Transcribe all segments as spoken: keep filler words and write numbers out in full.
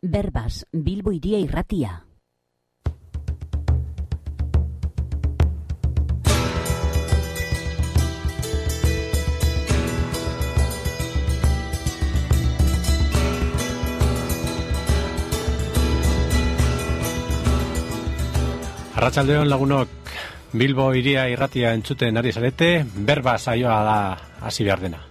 Berbas, Bilbo Hiria Irratia. Arratsaldeon lagunok, Bilbo Hiria Irratia entzuten ari zarete, Berbas saioa da hasi behar dena.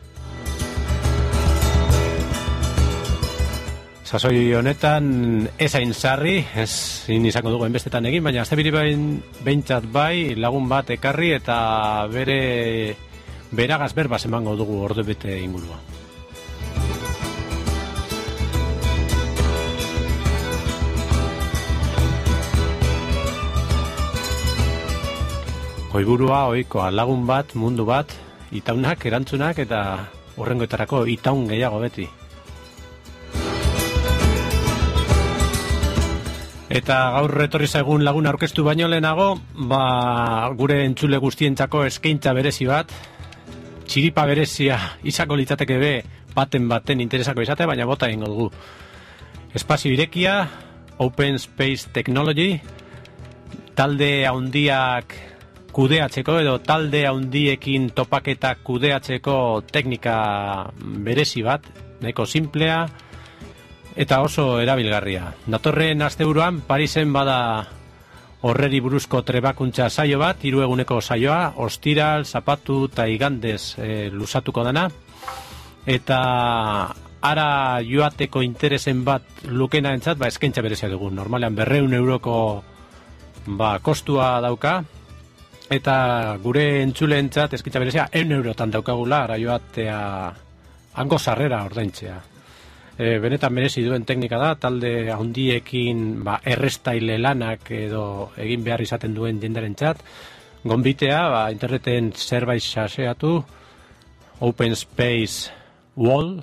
Sasoi honetan ez hain sarri, ez izango dugu enbestetan egin, baina azte biri behintzat bai lagun bat ekarri eta bere beragaz berbaz emango dugu ordubete ingurua. Oiburua, oikoa, lagun bat, mundu bat, itaunak, erantzunak eta horrengoetarako itaun gehiago beti. Eta gaur etorri zaigun lagun aurkeztu baino lehenago, ba, gure entzule guztientzako eskaintza berezi bat, txiripa berezia izango litzateke be baten baten interesako izate, baina bota egingo dugu. Espazio irekia, Open Space Technology, talde handiak kudeatzeko edo talde handiekin topaketak kudeatzeko teknika berezi bat, nahiko simplea, eta oso erabilgarria. Datorren asteburuan Parisen bada horreri buruzko trebakuntza saio bat, hiru eguneko saioa, ostiral, zapatu eta igandez e, lusatuko dana. Eta ara joateko interesen bat lukena entzat, ba, eskaintza berezia dugu. Normalean berreun euroko ba, kostua dauka, eta gure entzule entzat eskaintza berezia eun eurotan daukagula ara joatea hango sarrera ordaintzea. E, benetan merezi duen teknika da, talde handiekin ba, errestaile lanak edo egin behar izaten duen jendaren txat. Gonbitea, ba, interneten zerbait xaseatu, Open Space Wall,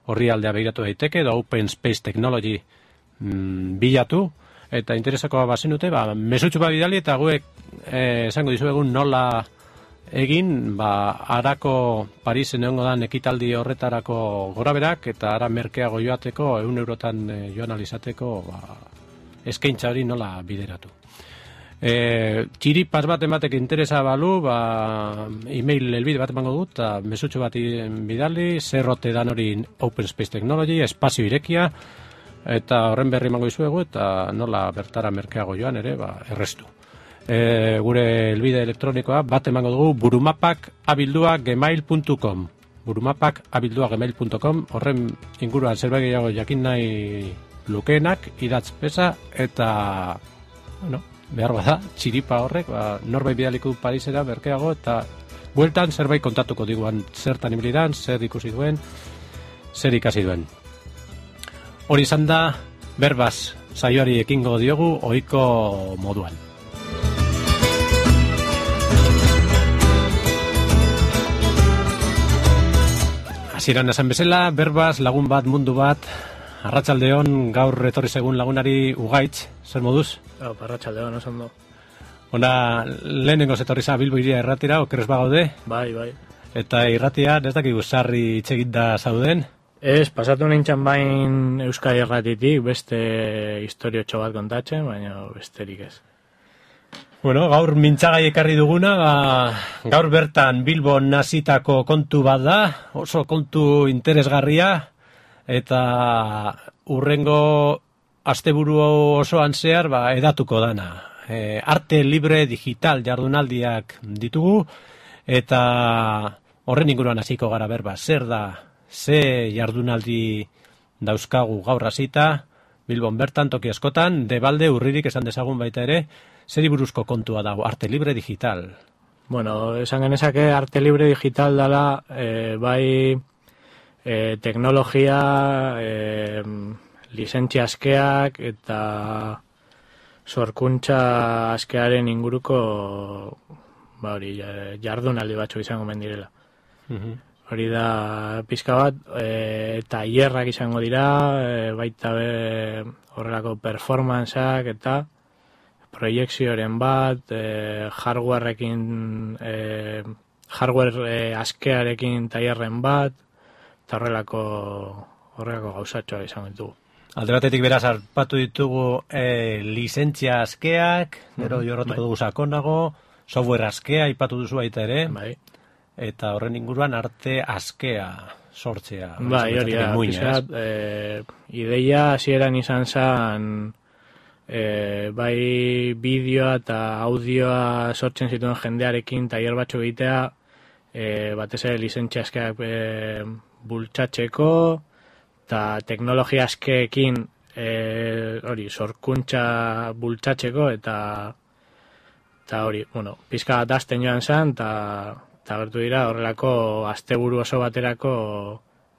horri aldea begiratu daiteke, edo Open Space Technology mm, bilatu, eta interesakoa bazenute, ba, mesutxu bat bidali eta guek eh, esango dizuegun nola egin, ba, arako Parisen egongo dan ekitaldi horretarako goraberak, eta ara merkeago joateko, eun eurotan e, joan alizateko, ba, eskaintza hori nola bideratu. E, txiripas bat ematek interesa balu, ba, e-mail elbide bat emango dut, eta mesutxo bat bidali, zerrote dan hori Open Space Technology, espazio irekia, eta horren berri emango dizuegu, eta nola bertara merkeago joan ere, ba, errestu. E, gure elbide elektronikoa bat emango dugu burumapak abildua gmail puntu com burumapak abildua gmail puntu com. Horren inguruan zerbait gehiago jakin nahi lukeenak idatz pesa eta bueno, behar bada txiripa horrek ba, norbait bidaliko Parisera berkeago eta bueltan zerbait kontatuko diguan zertan ibilidan, zer ikusi duen, zer ikasi duen. Hori izan da Berbas saioari ekingo diogu ohiko moduan. Hasieran esan bezala, Berbas, lagun bat, mundu bat, arratsaldeon, gaur etorri segun lagunari Ugaitz, zer moduz? Oh, arratsaldeon, oso ondo. Ona, lehenengo etorri za Bilbo Hiria Irratira, okerrez bagaude? Bai, bai. Eta irratia, ez dakigu sarri itxegit da zauden? Ez, pasatu nintzen bain Euskal Irratitik, beste historiotxo bat kontatzen, baina besterik ez. Bueno, gaur mintzagai ekarri duguna, ba, gaur bertan Bilbon nazitako kontu bat da, oso kontu interesgarria, eta urrengo asteburu osoan zehar ba, edatuko dana. E, arte libre digital jardunaldiak ditugu, eta horren inguruan hasiko gara berba. Zer da, ze jardunaldi dauzkagu gaur hasita, Bilbon bertan, toki askotan, debalde urririk esan dezagun baita ere, zeri buruzko kontua dago, arte libre digital? Bueno, esan genezake arte libre digital dala, e, bai e, teknologia, e, lizentzia askeak eta sorkuntza askearen inguruko ba hori, jardunaldi batzuk izango mendirela. Uh-huh. Hori da pizka bat, e, tailerrak izango dira, e, baita be horrelako performanceak eta proiekzioaren bat, e, hardwareekin, e, hardware e, askearekin tailerren bat, eta horrelako horrelako gauzatxoa izango ditugu. Alde batetik beraz harpatu ditugu e, lizentzia askeak, gero mm-hmm. jorratuko bai. dugu sakonago, software askea aipatu duzu baita ere, bai. Eta horren inguruan arte askea sortzea. Bai, hori da, pizkat, e, ideia hasieran izan zen, e, bai bideoa eta audioa sortzen zituen jendearekin tailer batzuk egitea, e, batez ere lizentzia askeak e, bultzatzeko, eta teknologia askeekin e, hori, sorkuntza bultzatzeko, eta eta hori, bueno, pizka bat azten joan zen, eta eta gertu dira horrelako asteburu oso baterako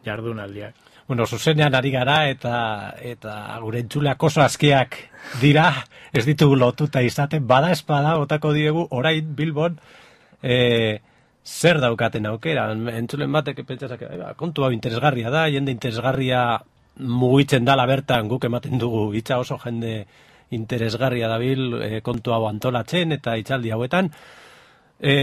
jardunaldiak. Bueno, zuzenean ari gara eta eta gure entzuleak oso askeak dira, ez ditugu lotuta izaten, bada espada botako diegu orain Bilbon e, zer daukaten aukera. Entzulen batek pentsazak, kontu hau interesgarria da, jende interesgarria mugitzen dala bertan, guk ematen dugu hitza oso jende interesgarria dabil e, kontu hau antolatzen eta hitzaldi hauetan. E,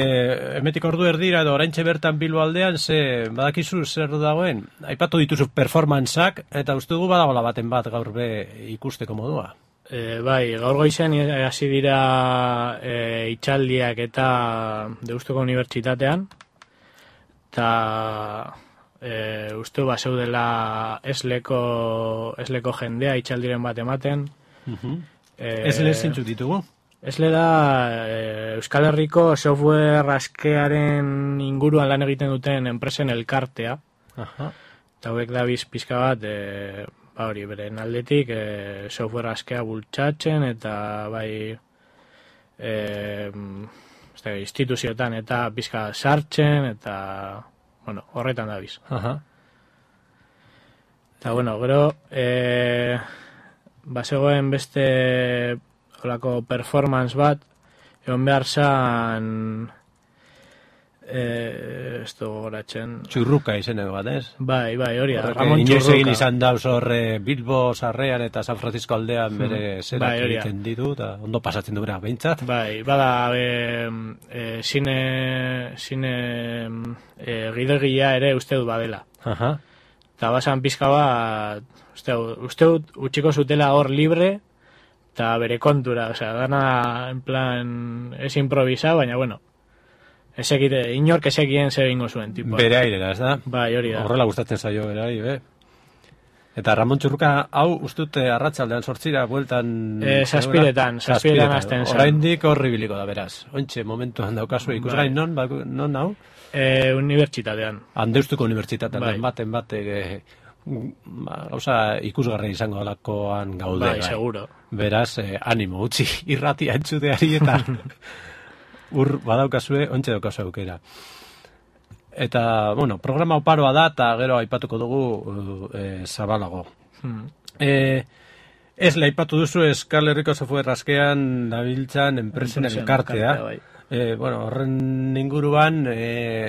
emetik ordu erdira edo oraintxe bertan Bilbo aldean, ze badakizu zer dagoen, aipatu dituzu performanceak eta uste dugu badagola baten bat gaur be ikusteko modua. E, bai, gaur goizen hasi dira e, itxaldiak eta Deustuko Unibertsitatean, eta e, uste ba zeudela esleko, esleko jendea itxaldiren bat ematen. Uh-huh. e, Esle zintzu ditugu? Esle da e, Euskal Herriko software askearen inguruan lan egiten duten enpresen elkartea. Aha. Eta hauek da biz pizka bat, e, ba hori, beren aldetik e, software askea bultzatzen eta bai e, este, instituzioetan eta pizka sartzen eta bueno, horretan da biz. Aha. Eta bueno, gero e, bazegoen beste olako performance bat, egon behar zan, eh, ez dugu goratzen. Txurruka izeneko bat, ez? Bai, bai, hori da, Ramon Txurruka. Inoiz egin izan dauz horre Bilbo sarrean eta San Francisco aldean bere hmm. zerak bai, egiten ditu, eta ondo pasatzen du bera, behintzat. Bai, bada, e, e, zine, zine e, gidegia ere uste dut badela. Aha. Eta basan pizka bat, uste, uste dut utxiko zutela hor libre, eta bere kontura, osea, dana en plan, ez improvisa, baina bueno, ezekite, inork ezekien zer egingo zuen, tipo. Bere airera, ez da? Bai, hori da. Horrela gustatzen zaio bere aire, eh? Eta Ramon Txurruka, hau, ustute arratsaldean sortzira, bueltan... E, saspiretan, saspiretan azten zen. Oraindik horribiliko da, beraz. Ointxe, momentuan daukazu, ikusgain non, ba, non hau? E, unibertsitatean. Handeustuko unibertsitatean, bai. baten batek... E, gauza ikusgarri izango dalakoan gaude. Bai, bai. Seguro. Beraz, eh, animo, utzi irratia entzuteari eta ur badaukazue, ontxe daukazu aukera. Eta, bueno, programa oparoa da, eta gero aipatuko dugu eh, zabalago. Hmm. Eh, ez aipatu duzu Euskal Herriko software askean dabiltzan enpresen elkartea. Bai. E, bueno, horren inguruan e,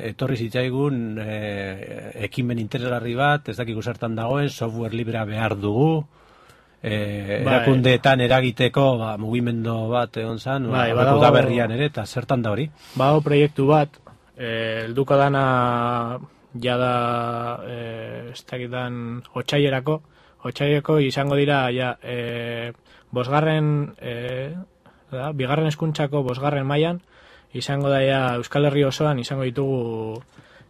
etorri zitzaigun e, ekimen interesgarri bat, ez dakigu zertan dagoen, software librea behar dugu, e, bai. Erakundeetan eragiteko ba, mugimendu bat egon zan, bai, ba, da berrian ere, eta zertan da hori? Bago proiektu bat, e, elduko dana jada e, ez dakitan otsailerako, otsailerako izango dira ja, e, bosgarren, e, da, bigarren hezkuntzako bosgarren mailan, izango daia Euskal Herri osoan izango ditugu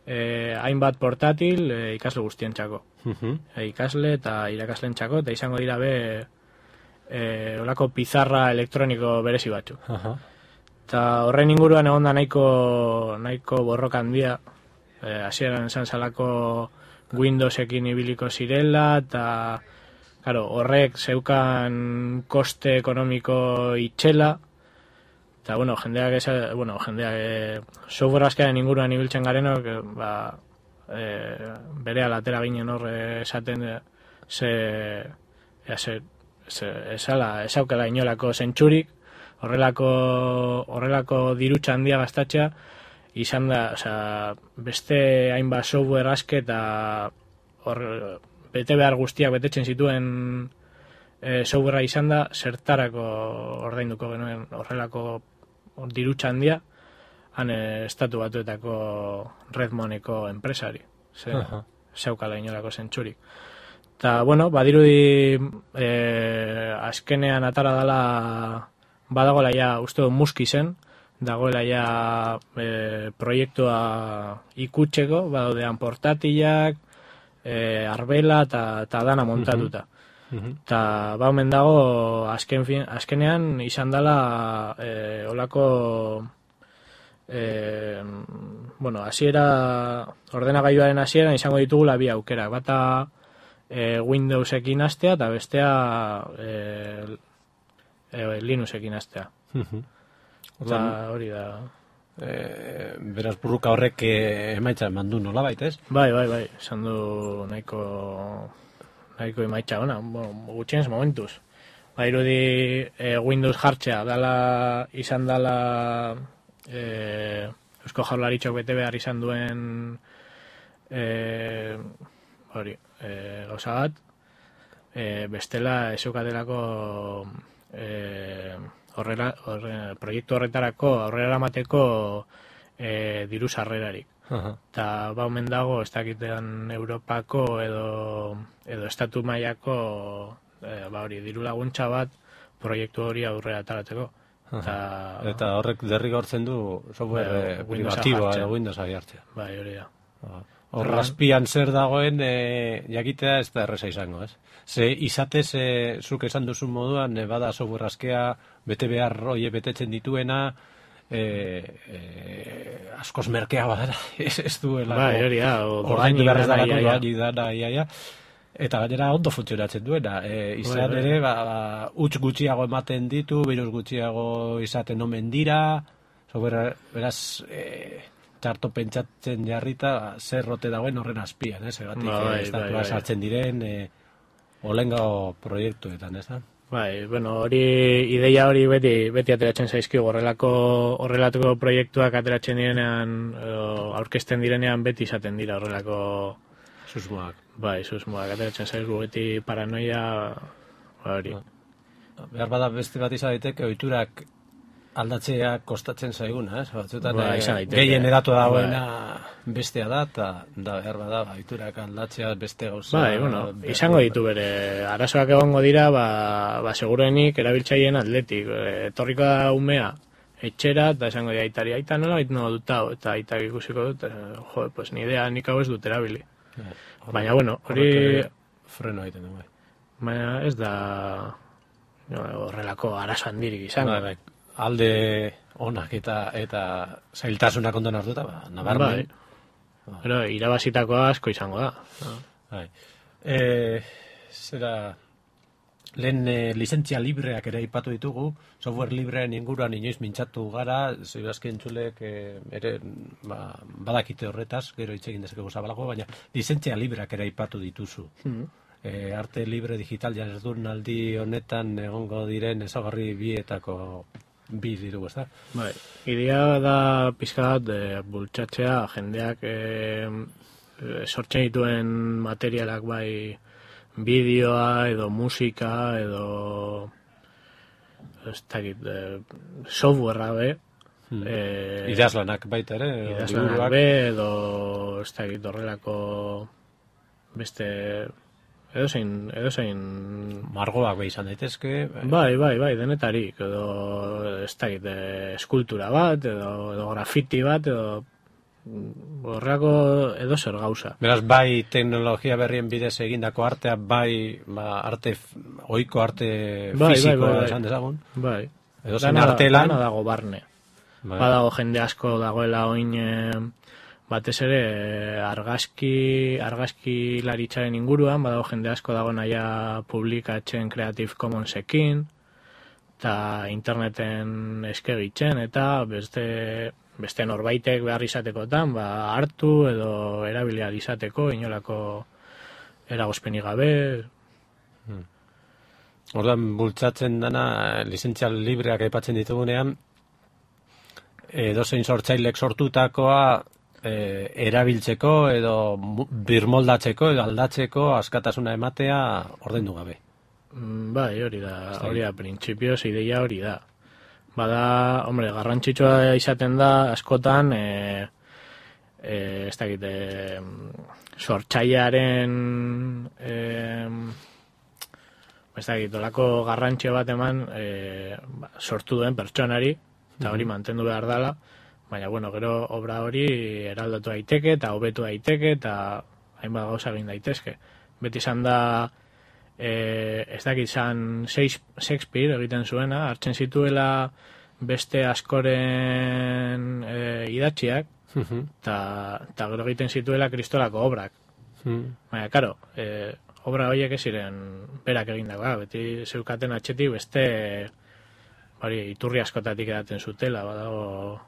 eh, hainbat portatil eh, ikasle guztientzako. Uh-huh. E, ikasle eta irakaslentzako, eta izango dira be eh, olako pizarra elektroniko berezi batzu. Uh-huh. Eta horren inguruan egon da nahiko, nahiko borroka handia, eh, hasieran esan salako Windowsekin ibiliko zirela, eta claro, horrek zeukan koste ekonomiko itxela, eta, bueno, jendeak, esa, bueno, jendeak, e, software askearen inguruan ibiltzen garenok, e, ba, e, bere alatera ginen hor esaten, e, ze, e, ze, ze, esala, esaukela inolako zentsurik, horrelako, horrelako dirutxa handia gastatzea, izan da, oza, beste hainbat software aske eta hor, bete behar guztiak betetzen zituen e, softwarea izan da, zertarako ordainduko genuen horrelako dirutxa handia, han estatu batuetako Redmoneko enpresari, ze, uh-huh. zeukala inolako zentsurik. Ta, bueno, badirudi e, azkenean atara dela badagoela ja, uste dut Muskisen, dagoela ja e, proiektua ikutzeko, badaudean portatilak, e, arbela eta dana montatuta. Eta ba omen dago azken fin, azkenean izan dela e, olako e, bueno, hasiera ordenagailuaren hasieran izango ditugula bi aukerak, bata e, Windowsekin hastea eta bestea e, e, Linuxekin hastea. Eta hori da. E, beraz burruka horrek emaitza eman du nolabait, ez? Bai, bai, bai, esan du nahiko nahiko emaitza ona, bueno, gutxienez momentuz. Ba, irudi e, Windows jartzea, dala, izan dala e, Eusko Jaurlaritzak bete behar izan duen e, hori, e, gauza bat, e, bestela ezukaterako e, horrela, horre, proiektu horretarako aurrera eramateko e, diru sarrerarik. Eta ba omen dago, ez dakitean Europako edo, edo estatu mailako e, ba hori, diru laguntza bat proiektu hori aurrera ataratzeko. Ta, eta horrek derrigortzen du software e, privatiboa edo Windowsa jartzea. Bai, hori da. Hor azpian zer dagoen e, jakitea ez da erresa izango, ez? Ze izatez, e, zuk esan duzun moduan, e, bada software askea, bete behar hori betetzen dituena, E, e, askoz merkea badara, ez, ez duela bai, hori da, ordaindu beharrez dalako doaini dana, ia, ia. Eta gainera ondo funtzionatzen duena, e, izan bai, ere ba, ba, utz gutxiago ematen ditu, virus gutxiago izaten omen dira, sobera, beraz e, txarto pentsatzen jarrita, zer rote dagoen horren azpian, ez, egatik bai, estatua bai, sartzen bai. diren e, olengo proiektuetan, ez da? Bai, bueno, hori ideia hori beti beti ateratzen zaizkigu, horrelako horrelako proiektuak ateratzen direnean, aurkezten direnean beti izaten dira horrelako susmoak. Bai, susmoak ateratzen zaizkigu beti paranoia hori. Behar bada beste bat izan daiteke ohiturak aldatzea kostatzen zaiguna, ez? Batzuetan bai, gehien edatu dagoena bai. bestea da, eta da behar bada ohiturak aldatzea beste gauza. Bai, bueno, izango ditu bere arazoak egongo dira, ba, ba segurenik erabiltzaileen atletik. Etorriko da umea etxera, eta esango dira aitari, aita nola bait no dut hau, eta aitak ikusiko dut, jo, pues ni idea nik hau ez dut erabili. Ja, baina, bueno, hori freno egiten du, bai. Baina ez da horrelako arazo handirik izango. Bai, bai. Alde onak eta eta zailtasunak ondoan hartuta, ba, nabarmen. Bai. Pero irabazitako asko izango da. Bai. Eh, zera lehen e, lizentzia libreak ere aipatu ditugu, software librearen inguruan inoiz mintzatu gara, ziurazki entzulek e, ere ba, badakite horretaz, gero hitz egin dezakegu zabalago, baina lizentzia libreak ere aipatu dituzu. Mm. E, arte libre digital jardunaldi honetan egongo diren ezaugarri bietako bi diru, ez da? Bai, idea da pizka bat e, bultzatzea jendeak e, e, sortzen dituen materialak bai bideoa edo musika edo ez dakit e, softwarea be hmm. e, idazlanak baita ere idazlanak be edo ez dakit horrelako beste edo zein, edo zein margoak be izan daitezke bai, bai, bai, denetarik edo ez dakit eskultura bat edo, edo grafiti bat edo horrelako edo zer gauza. Beraz, bai teknologia berrien bidez egindako artea, bai ba, arte, oiko arte bai, fisikoa bai, bai, bai. esan dezagun. Bai. Edo zen artelan. Dana dago barne. Bai. Badago jende asko dagoela oin batez ere argazki, argazki laritzaren inguruan, badago jende asko dago naia publikatzen Creative Commonsekin, eta interneten eskegitzen, eta beste... beste norbaitek behar izatekotan, ba, hartu edo erabilia izateko, inolako eragozpenik gabe. Hmm. Ordan bultzatzen dana, lizentzial libreak aipatzen ditugunean, edozein sortzailek sortutakoa e, erabiltzeko edo birmoldatzeko edo aldatzeko askatasuna ematea ordaindu gabe. Bai, hori da, hori da, printzipioz ideia hori da. Bada, hombre, garrantzitsua izaten da askotan e, e, ez dakit, e, sortxaiaren e, ez dakit, olako garrantzio bat eman e, ba, sortu duen pertsonari, eta hori mantendu behar dela, baina, bueno, gero obra hori eraldatu daiteke, eta hobetu daiteke, eta hainbat gauza egin daitezke. Beti izan da, e, ez dakit, izan Shakespeare egiten zuena, hartzen zituela beste askoren e, idatziak, eta uh-huh. gero egiten zituela kristolako obrak. Uh-huh. Baina, karo, e, obra horiek ez ziren berak egindakoa, beti zeukaten atxetik beste hori iturri askotatik edaten zutela, badago...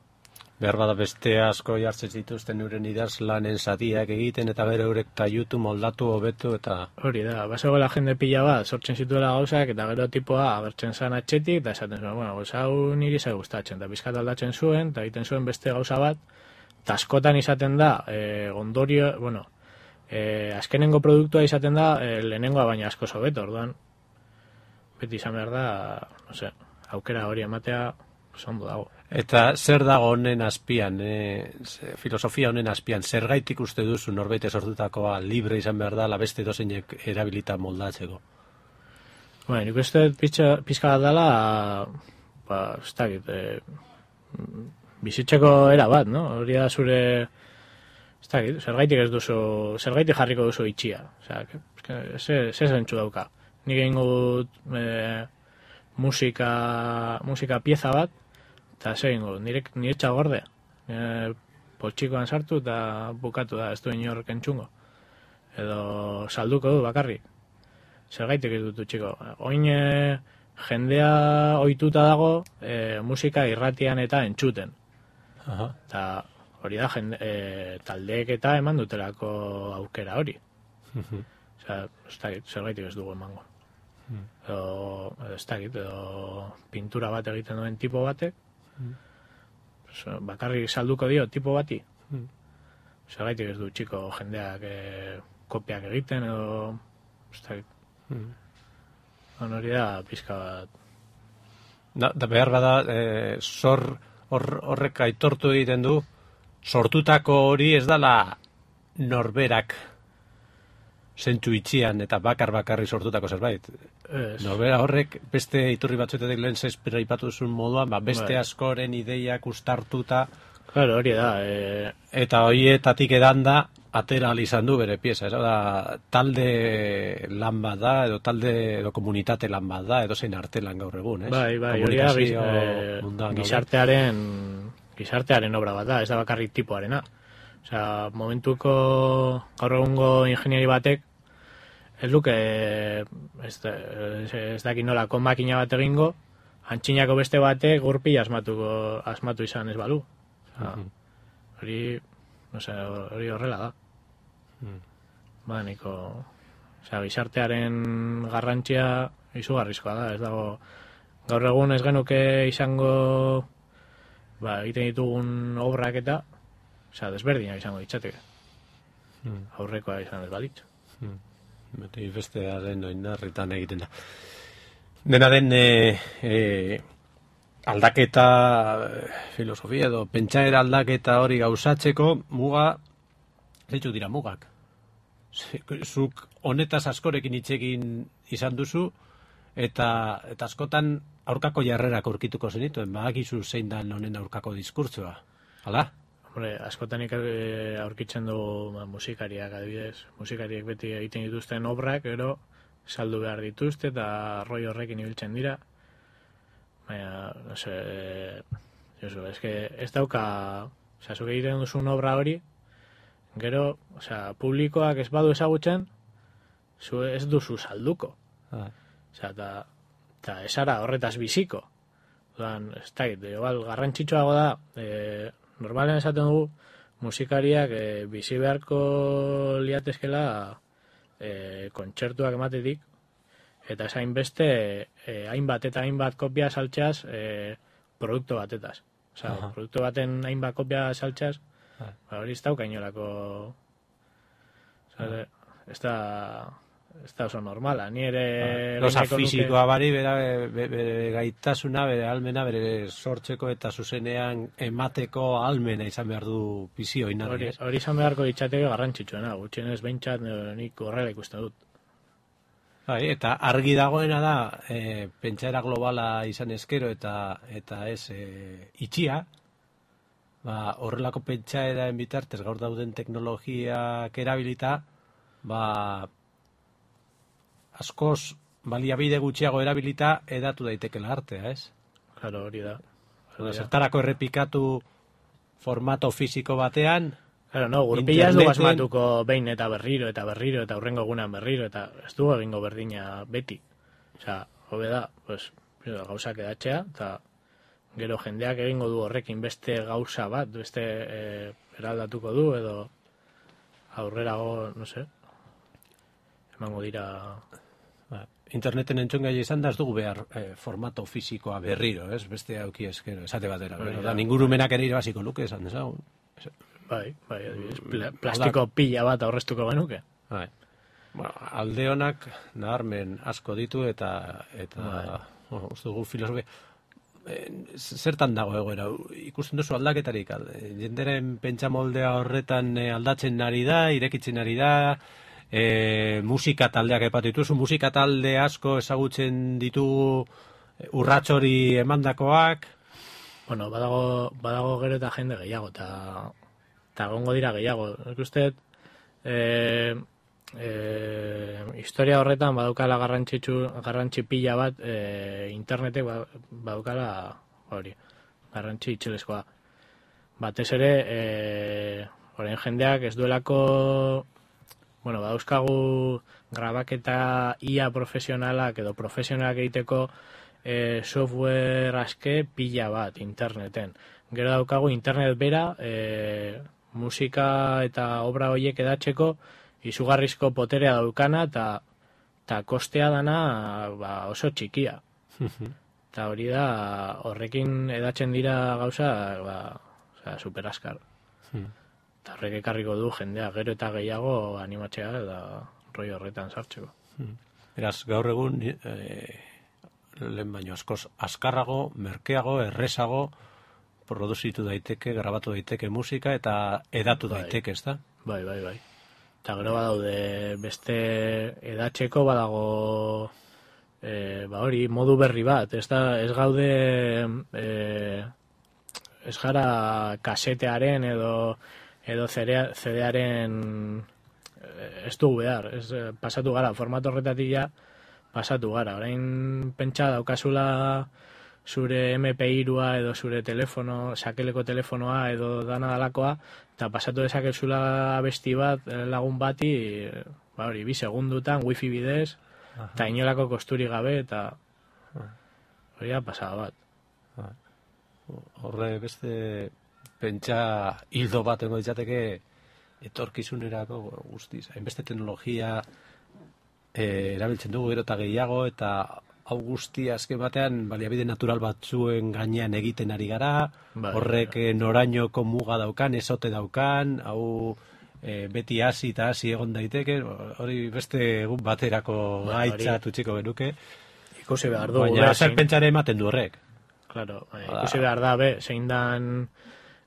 Behar bada beste asko jartzen zituzten euren idazlanen zatiak egiten, eta gero eurek taiutu, moldatu, hobetu, eta... Hori da, bazegoela jende pila bat, sortzen zituela gauzak, eta gero tipoa agertzen zan atxetik, eta esaten zuen, bueno, gauza hau niri zai gustatzen, eta bizkat aldatzen zuen, eta egiten zuen beste gauza bat, eta askotan izaten da, e, ondorio, bueno, e, azkenengo produktua izaten da, e, lehenengoa baina asko hobeto, orduan, beti izan behar da, no sé, aukera hori ematea, ondo dago. Eta zer dago honen azpian, e, filosofia honen azpian, zergaitik uste duzu norbait sortutakoa libre izan behar da, la beste dozeinek erabilita moldatzeko? Bueno, nik uste pizka bat dela, ba, ez dakit, e, bizitzeko era bat, no? Hori da zure, ez dakit, zergaitik ez duzu, zergaitik jarriko duzu itxia. Osea, ze zentzu dauka. Nik egin dut e, musika, musika pieza bat, eta ze egin dut, nire, nire txagorde. E, poltsikoan sartu eta bukatu da, ez duen inork entzungo. Edo salduko du bakarrik. Zergaitik ez dut txiko. Oin e, jendea ohituta dago e, musika irratian eta entzuten. Aha. Eta hori da, jende, e, taldeek eta eman dutelako aukera hori. Osea, ez dakit, zergaitik ez dugu emango. Mm. Edo, edo ez dakit, edo pintura bat egiten duen tipo batek, mm. so, bakarrik salduko dio tipo bati. Mm. Zergaitik ez du txiko jendeak e, kopiak egiten, edo ez dakit. Mm. Hori da, pizka bat. Da, da behar bada, e, zor hor, horrek aitortu egiten du, sortutako hori ez dala norberak zentzu itxian eta bakar bakarri sortutako zerbait. Es. Norbera horrek beste iturri batzuetetik lehen zespera ipatu zuen moduan, ba, beste Bai. askoren ideiak ustartuta. Claro, hori da. E... Eta horietatik edan da, atera izan du bere pieza. Ez da, talde lan bat da, edo talde, edo komunitate lan bat da, edo zein arte lan gaur egun, ez? Bai, bai, hori da, giz, e, gizartearen, gizartearen obra bat da, ez da bakarrik tipoarena. Osea, momentuko gaur egungo ingenieri batek, ez luke, ez, ez, ez daki nolako makina bat egingo, antxinako beste batek gurpila asmatuko, asmatu izan ez balu. Osea, hori, no sé, hori horrela da. Mm. Ba, niko, osea, gizartearen garrantzia izugarrizkoa da, ez dago, gaur egun ez genuke izango, ba, egiten ditugun obrak eta, osea, desberdinak izango ditzateke. Mm. Aurrekoa izan ez balitz. Mm. Beti bestearen oinarritan egiten da. Dena den, e, e, aldaketa filosofia edo pentsaera aldaketa hori gauzatzeko muga, zeitzu dira mugak. Zuk honetaz askorekin hitzekin izan duzu, eta, eta askotan aurkako jarrerak aurkituko zenituen, badakizu zein dan honen aurkako diskurtsoa. Hala? Hombre, askotan aurkitzen du ba, musikariak adibidez. Musikariek beti egiten dituzten obrak, gero saldu behar dituzte eta roi horrekin ibiltzen dira. Baina, no se, Josu, es que ez dauka, osea, zuk egiten duzun obra hori, gero, osea, publikoak ez badu ezagutzen, zu ez duzu salduko. Ah. Osea, eta, eta esara horretaz biziko. Odan, ez da, igual, garrantzitsuago da, e, normalen esaten dugu, musikariak e, bizi beharko liatezkela e, kontzertuak ematetik, eta esain beste e, hainbat eta hainbat kopia saltzeaz e, produktu batetaz. Osea, uh-huh. produktu baten hainbat kopia saltzeaz, uh-huh. ba, hori ez dauka inolako... Osea, uh-huh. ez da... ez da oso normala, ni ere... Gauza fisikoa bari, bere, bere, bere gaitasuna, bere almena, bere sortzeko eta zuzenean emateko almena izan behar du bizio inarri. Hori, hori izan beharko ditzateke garrantzitsuena, gutxienez behintzat nik horrela ikusten dut. Bai, eta argi dagoena da, e, pentsaera globala izan ezkero eta eta ez e, itxia, ba, horrelako pentsaeraen bitartez gaur dauden teknologiak erabilita, ba, askoz baliabide gutxiago erabilita edatu daitekela artea, ez? Claro, hori da. Hori da. Zertarako errepikatu formato fisiko batean, claro, no, gurpila ez du asmatuko behin eta berriro, eta berriro, eta hurrengo egunan berriro, eta ez du egingo berdina beti. Osea, hobe da, pues, gauzak edatzea, eta gero jendeak egingo du horrekin beste gauza bat, beste e, eraldatuko du, edo aurrerago, no sé, emango dira... Interneten entzun gai izan da ez dugu behar eh, formato fisikoa berriro, ez? Beste auki ezkero, esate batera. Bai, da, ningurumenak ere irabaziko luke esan dezagun. Bai, bai, pla, plastiko pila bat aurreztuko genuke. Bai. Bueno, alde honak nabarmen asko ditu eta eta bai. Bueno, uste dugu filosofia eh, zertan dago egoera, ikusten duzu aldaketarik, jenderen pentsamoldea horretan eh, aldatzen ari da, irekitzen ari da, E, musika taldeak epatu dituzu, musika talde asko ezagutzen ditugu urrats hori emandakoak. Bueno, badago, badago gero eta jende gehiago, eta eta gongo dira gehiago. Nik uste, e, e, historia horretan badaukala garrantzitsu, garrantzi pila bat, e, internetek badaukala hori, garrantzi itxelezkoa. Batez ere, e, orain jendeak ez duelako... Bueno, badauzkagu grabaketa I A profesionalak edo profesionalak egiteko e, software aske pila bat interneten. Gero daukagu internet bera e, musika eta obra horiek edatzeko izugarrizko poterea daukana eta ta kostea dana ba, oso txikia. Eta hori da, horrekin edatzen dira gauza ba, oza, super askar. Eta horrek ekarriko du jendea gero eta gehiago animatzea eta roi horretan sartzeko. Beraz, gaur egun e, lehen baino askoz askarrago, merkeago, errezago produzitu daiteke, grabatu daiteke musika eta edatu bai. daiteke, ez da? Bai, bai, bai. Eta gero badaude beste edatzeko badago e, ba hori modu berri bat, ez da, ez gaude e, ez gara kasetearen edo edo C D-aren ez dugu behar, ez, pasatu gara, formato horretatik ja pasatu gara. Orain pentsa daukazula zure M P hirua edo zure telefono, sakeleko telefonoa edo dana dalakoa, eta pasatu dezakezula abesti bat lagun bati, ba hori, bi segundutan, wifi bidez, eta inolako kosturi gabe, eta hori da pasada bat. Horre beste... Pentsa hildo bat ego ditzateke etorkizunerako guztiz. Hainbeste teknologia e, erabiltzen dugu gero eta gehiago eta hau guztia azken batean baliabide natural batzuen gainean egiten ari gara, bai, horrek bai. Norainoko muga daukan, ezote daukan, hau e, beti hasi eta hasi egon daiteke, hori beste egun baterako ba, gaitza tutxiko genuke. Ikusi behar du. Baina zer pentsare ematen du horrek. Claro, ikusi behar da, be, zein dan...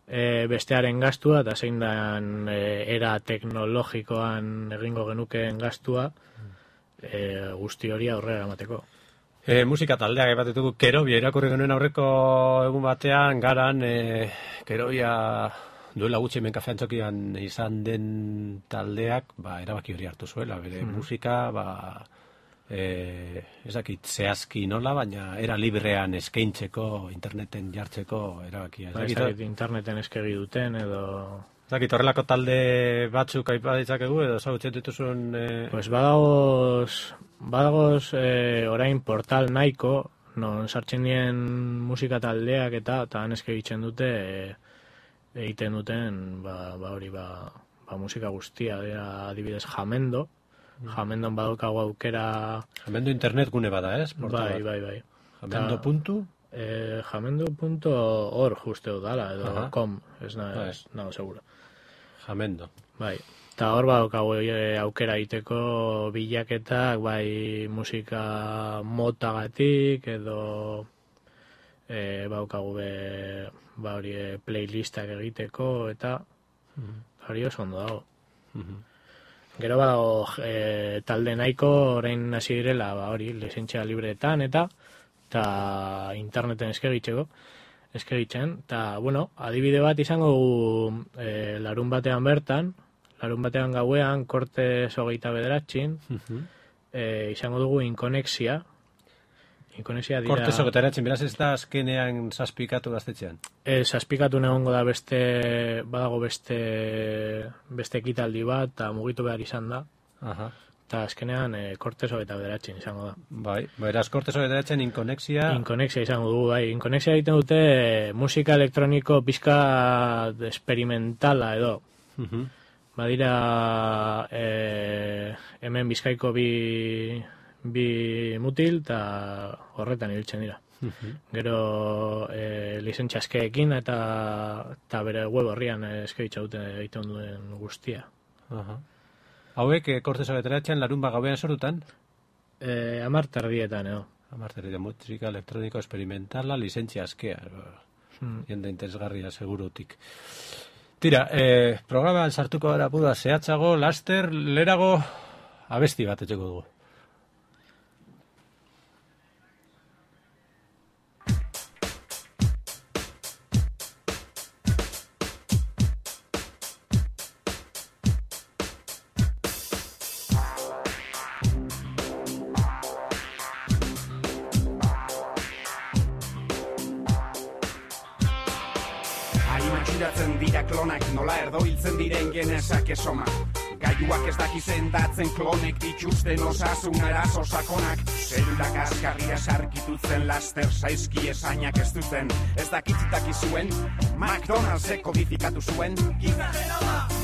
E, bestearen gastua eta zein dan e, era teknologikoan egingo genukeen gastua e, guzti hori aurrera emateko. E, musika taldeak ebatetuko Kerobia irakurri genuen aurreko egun batean garan e, Kerobia duela gutxi hemen kafean txokian izan den taldeak ba, erabaki hori hartu zuela, bere mm. musika ba, e, ez dakit zehazki nola, baina era librean eskaintzeko, interneten jartzeko erabakia. Ez dakit interneten eskegi duten edo... Ez dakit horrelako talde batzuk aipa ditzakegu edo zautzen dituzun... E... Pues badagoz, badagoz e, orain portal nahiko, non sartzen dien musika taldeak eta eta han eskegitzen dute e, egiten duten ba, ba hori ba, ba musika guztia, dira adibidez Jamendo, Jamendon badaukago aukera... Jamendo internet gune bada, ez? Eh? Bai, bai, bai. Jamendo puntu? Eh, jamendo punto org uste dut dala, edo Aha. com, ez nago seguro. Jamendo. Bai. Eta hor badaukagu e, aukera egiteko bilaketak, bai musika motagatik, edo e, badaukagu be, ba hori e, playlistak egiteko, eta hori oso ondo dago. Mhm. Gero badago e, talde nahiko orain hasi direla, ba hori, lizentzia libreetan eta eta interneten eskegitzeko, eskegitzen, eta bueno, adibide bat izango dugu e, larun batean bertan, larun batean gauean, Kortez hogeita bederatxin, Mhm. e, izango dugu inkonexia. Inkonexia dira... Kortez hogeita bederatxin, beraz ez da azkenean zazpikatu gaztetxean. E, zazpikatu negongo da beste, badago beste, beste ekitaldi bat, eta mugitu behar izan da. Aha. Eta azkenean e, Kortez hogeita bederatxin izango da. Bai, beraz Kortez hogeita bederatxin inkonexia... Inkonexia izango dugu, bai. Inkonexia egiten dute e, musika elektroniko pizka experimentala edo. Mhm. Badira e, hemen Bizkaiko bi, bi mutil eta horretan ibiltzen dira. Mhm. Gero e, lizentzia eskeekin eta, eta bere web horrian eskeitza dute egiten duen guztia. Aha. Hauek, eh, Kortez hogeita bederatxin larun bat gauean sortutan? E, amar tardietan, edo. Amarteri de musika elektroniko experimentala, lizentzia askea. Hmm. Jende interesgarria, segurutik. Tira, eh, programan sartuko gara puda zehatzago, laster, lerago, abesti bat etxeko dugu. Matxuratzen dira klonak, nola erdoiltzen diren genesak esoma. Gaiuak ez daki sendatzen klonek dituzten osasun arazo sakonak. Zelulak askarria sarkitutzen laster saizki esainak ez duten. Ez dakitzitaki zuen, McDonald'sek kodifikatu zuen.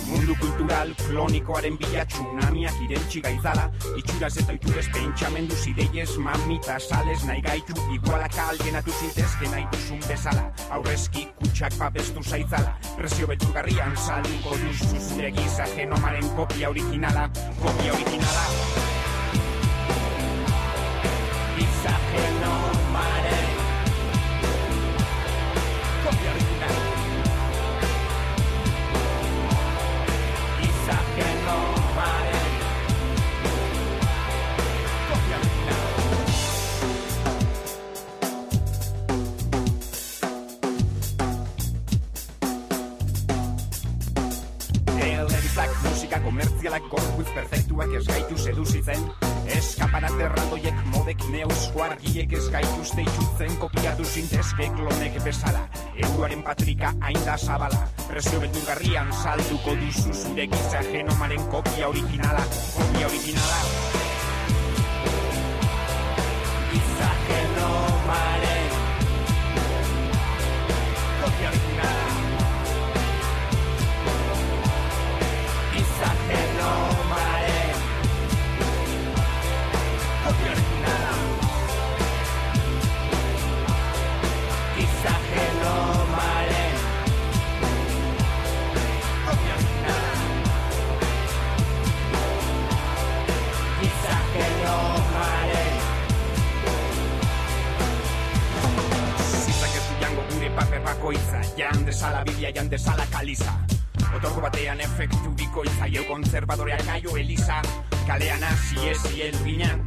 Mundu kultural klonikoaren bila tsunamiak irentxi gaitzala. Itxuraz eta itxurez pentsamendu zideiez mamita sales nahi gaitu. Igualak alienatu zintezke nahi duzun bezala. Aurrezki kutsak babestu zaitzala. Presio beturgarrian salduko duzu zure giza genomaren kopia originala. Kopia originala. Giza genomaren kopia originala. Giza genomaren kopia originala. Musika komertzialak gorpuz perfektuak ez gaitu seduzitzen. Eskaparat erraldoiek modek neuzko argiek ez gaituzte itxutzen. Kopiatu zintezke klonek bezala. Euroaren patrika hain da zabala. Presio beturgarrian salduko duzu zure giza genomaren kopia originala. Kopia originala. Giza genomaren kopia originala. Giza genomaren kopia originala. Giza genomaren kopia originala. Giza genomaren zizak ez du jango gure paper bakoitza. Jan desala biblia, jan desala kaliza. Otorgo batean efektu bikoitza. Jau konservadoreak aio eliza. Kalean hasi ezi elbinan.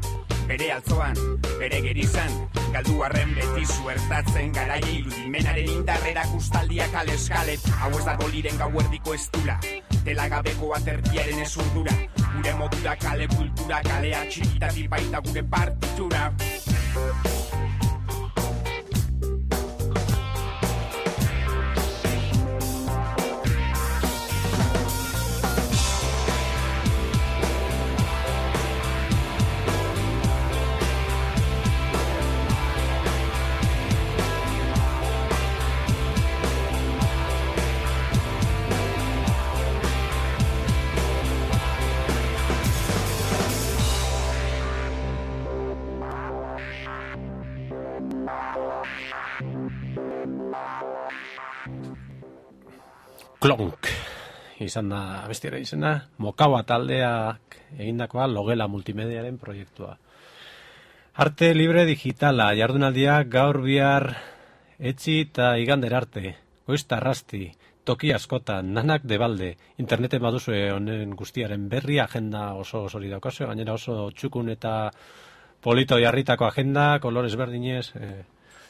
Bere altzoan, bere gerizan. Galdu arren beti zuertatzen garai irudimenaren indarrera kustaldiak aleskalet. Hau ez dago liren gauerdiko estula. Telagabeko aterdiaren ezurdura. Gure modura kale kultura, kalea txikitatik baita gure partitura. Klonk, izan da abestiaren izena, Mokaua taldeak egindakoa Logela multimediaren proiektua. Arte libre digitala, jardunaldiak gaur bihar etzi eta igander arte, goizta arrasti, toki askotan, nanak debalde, interneten baduzue honen guztiaren berri, agenda oso osori daukazue, gainera oso txukun eta polito jarritako agenda, kolores berdinez, eh,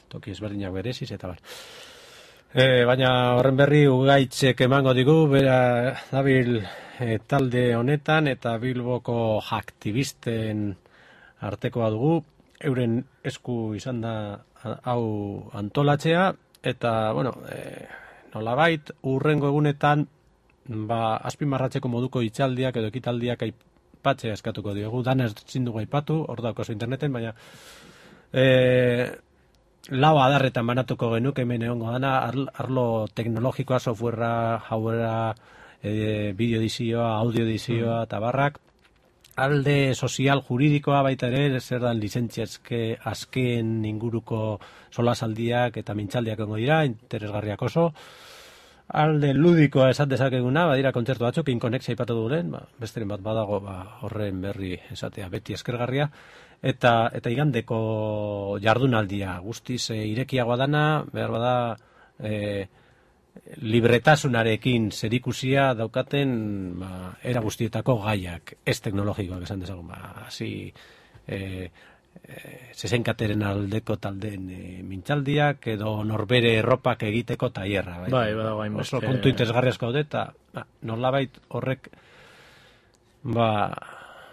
toki ezberdinak bereziz, eta bar. E, baina horren berri ugaitzek emango digu, bera dabil e, talde honetan, eta Bilboko aktivisten artekoa dugu, euren esku izan da hau antolatzea, eta, bueno, e, nolabait, urrengo egunetan, ba, azpimarratzeko moduko hitzaldiak edo ekitaldiak aipatzea eskatuko diogu, dana ezin dugu aipatu, hor daukazu interneten, baina e, lau adarretan banatuko genuke hemen egongo dana, arlo teknologikoa, softwarea, hauera, e, bideo edizioa, audio edizioa, eta barrak, alde sozial juridikoa baita ere, zer dan lizentzia azken inguruko solasaldiak eta mintxaldiak egongo dira, interesgarriak oso. Alde ludikoa esan dezakeguna, badira kontzertu batzuk, inkonexia ipatu dugulen, ba, besteren bat badago ba, horren berri esatea beti eskergarria, eta eta igandeko jardunaldia, guztiz e, irekiagoa dana, behar bada e, libretasunarekin zerikusia daukaten ba, era guztietako gaiak, ez teknologikoak esan dezagun, ba, hasi e, e, zezenkateren aldeko taldeen e, mintxaldiak edo norbere erropak egiteko taierra. Bai, bai, badago hainbeste. Oso kontu interesgarri asko daude, eta ba, nolabait horrek ba,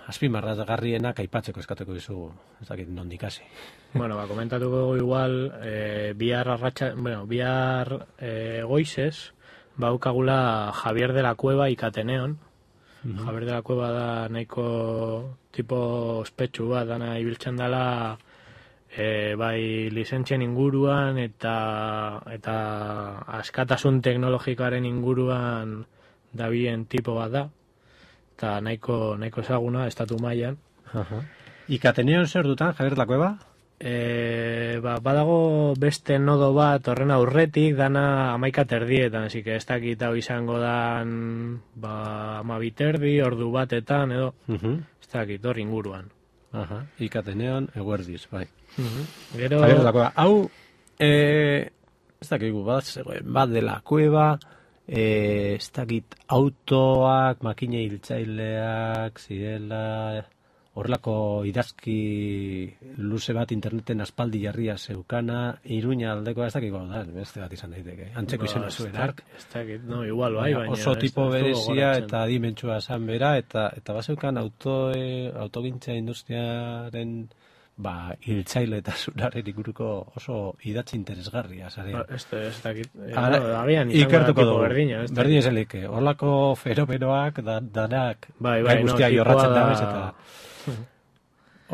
azpimarragarrienak aipatzeko eskatuko dizugu, ez dakit nondik hasi. Bueno, ba, komentatuko igual, eh, bihar arratxa, bueno, bihar eh, goizez, baukagula Javier de la Cueva ikateneon. Uh-huh. Javier de la Cueva da nahiko tipo ospetsu bat, dana ibiltzen dela eh, bai lizentzien inguruan eta eta askatasun teknologikoaren inguruan dabien tipo bat da. Eta nahiko, nahiko ezaguna, estatu mailan. Uh-huh. Ikateneon zer dutan, Javier de la Cueva? E, ba, badago beste nodo bat horren aurretik, dana amaika terdietan, así que ez dakit hau izango dan ba, amabiterdi, ordu batetan, edo, uh-huh. ez dakit hor inguruan. Uh-huh. Ikateneon, eguerdiz, bai. Uh-huh. Gero... Javier de la Cueva, hau, e, ez dakit gu, bat, bat de la Cueva... Eh, ez dakit autoak, makina hiltzaileak, zirela, horrelako idazki luze bat interneten aspaldi jarria zeukana, Iruña aldeko, ez dakit gau da, beste bat izan daiteke, antzeko izena zuen ark. Ez dakit, no, igual bai, baina... Oso tipo berezia eta dimentsua esan bera, eta, eta bazeukan auto, e, autogintza industriaren... ba, hiltzaile eta zuraren inguruko oso idatzi interesgarria, zarea. Ez da, ikertuko dugu, berdin ezelik, horlako fenomenoak, da, danak, bai, bai, gai guztiak no, jorratzen da... dabez, eta...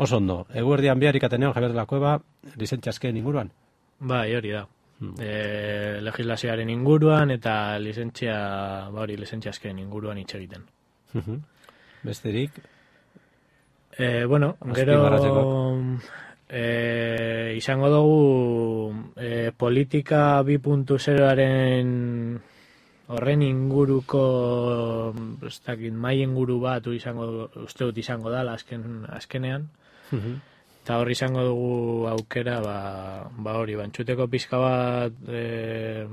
Oso ondo, eguerdian bihar ikatenean Javier de la Cueva, lizentzia azken inguruan? Bai, hori da. Hmm. E, legislazioaren inguruan, eta lizentzia, ba hori, lizentzia azken inguruan hitz egiten. Uh-huh. Besterik... Eh, bueno, gero eh, izango dugu eh, politika bi puntu zeroaren horren inguruko ez dakit, mai inguru bat izango, uste dut izango dala azken, azkenean. Uh-huh. Eta hor izango dugu aukera, ba, ba hori, bantxuteko pizka bat eh,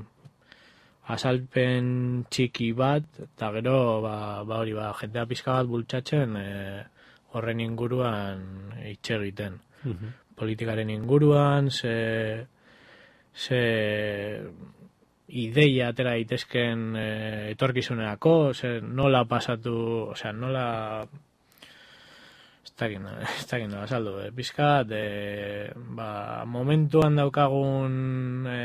azalpen txiki bat, eta gero ba, ba hori, ba, jentea pizka bat bultzatzen eh, horren inguruan hitz egiten. Uh-huh. Politikaren inguruan, ze, ze ideia atera daitezken e, etorkizunerako, ze nola pasatu, osea, nola... Ez dakit, ez dakit nola saldu, eh? Pizkat, e, ba, momentuan daukagun e,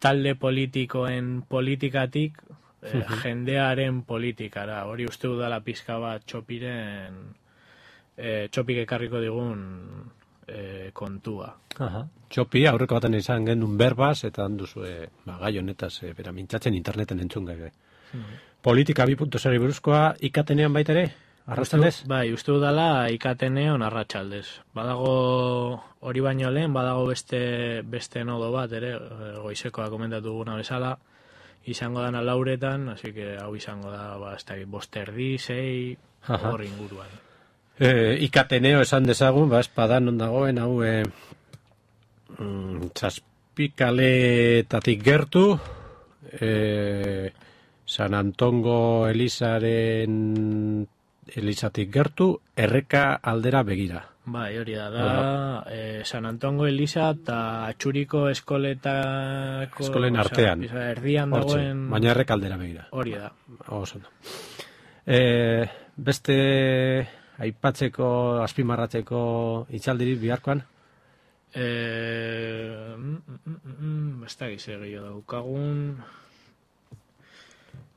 talde politikoen politikatik, Eh, jendearen politikara, hori uste dudala pizka bat txopiren eh, txopik ekarriko digun eh, kontua. Aha. Txopi, aurreko baten izan gendun berbaz, eta handuzu e, ba, gai honetaz, e, bera mintzatzen interneten entzun gai. Mm. Politika bi puntu zero buruzkoa ikatenean baita ere? Arratxaldez? Bai, uste dudala ikatenean arratsaldez. Badago hori baino lehen, badago beste, beste nodo bat ere, goizekoa komentatu guna bezala, izango dana lauretan, así que hau izango da, ba, ez da, bosterdi, sei, hor inguruan. E, ikateneo esan dezagun, ba, espadan ondagoen, hau, e, mm, txaspikaletatik gertu, e, San Antongo Elizaren Elizatik gertu, erreka aldera begira. Bai, hori da, da eh, San Antongo Eliza eta Atxuriko eskoletako... Eskolen artean. Oza, erdian Hortxe, dagoen... baina erreka aldera begira. Hori da. Oso no. E, beste aipatzeko, azpimarratzeko itxaldirik biharkoan? Eh, mm, mm, mm, ez da gize gehiago daukagun...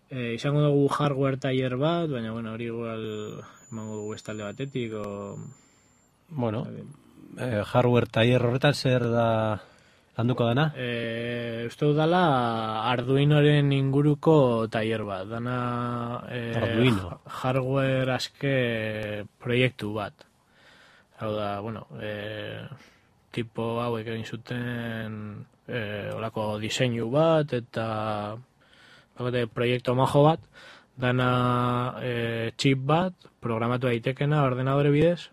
E, izango dugu hardware taller bat, baina bueno, hori igual emango dugu estalde batetik, o... Bueno, eh, hardware taller horretan zer da landuko dana? E, uste dut dala Arduinoren inguruko taller bat, dana e, Arduino. hardware aske proiektu bat. Hau da, bueno, e, tipo hauek egin zuten e, olako diseinu bat, eta... Bagote, proiektu majo bat, dana e, chip bat, programatu daitekena ordenadore bidez,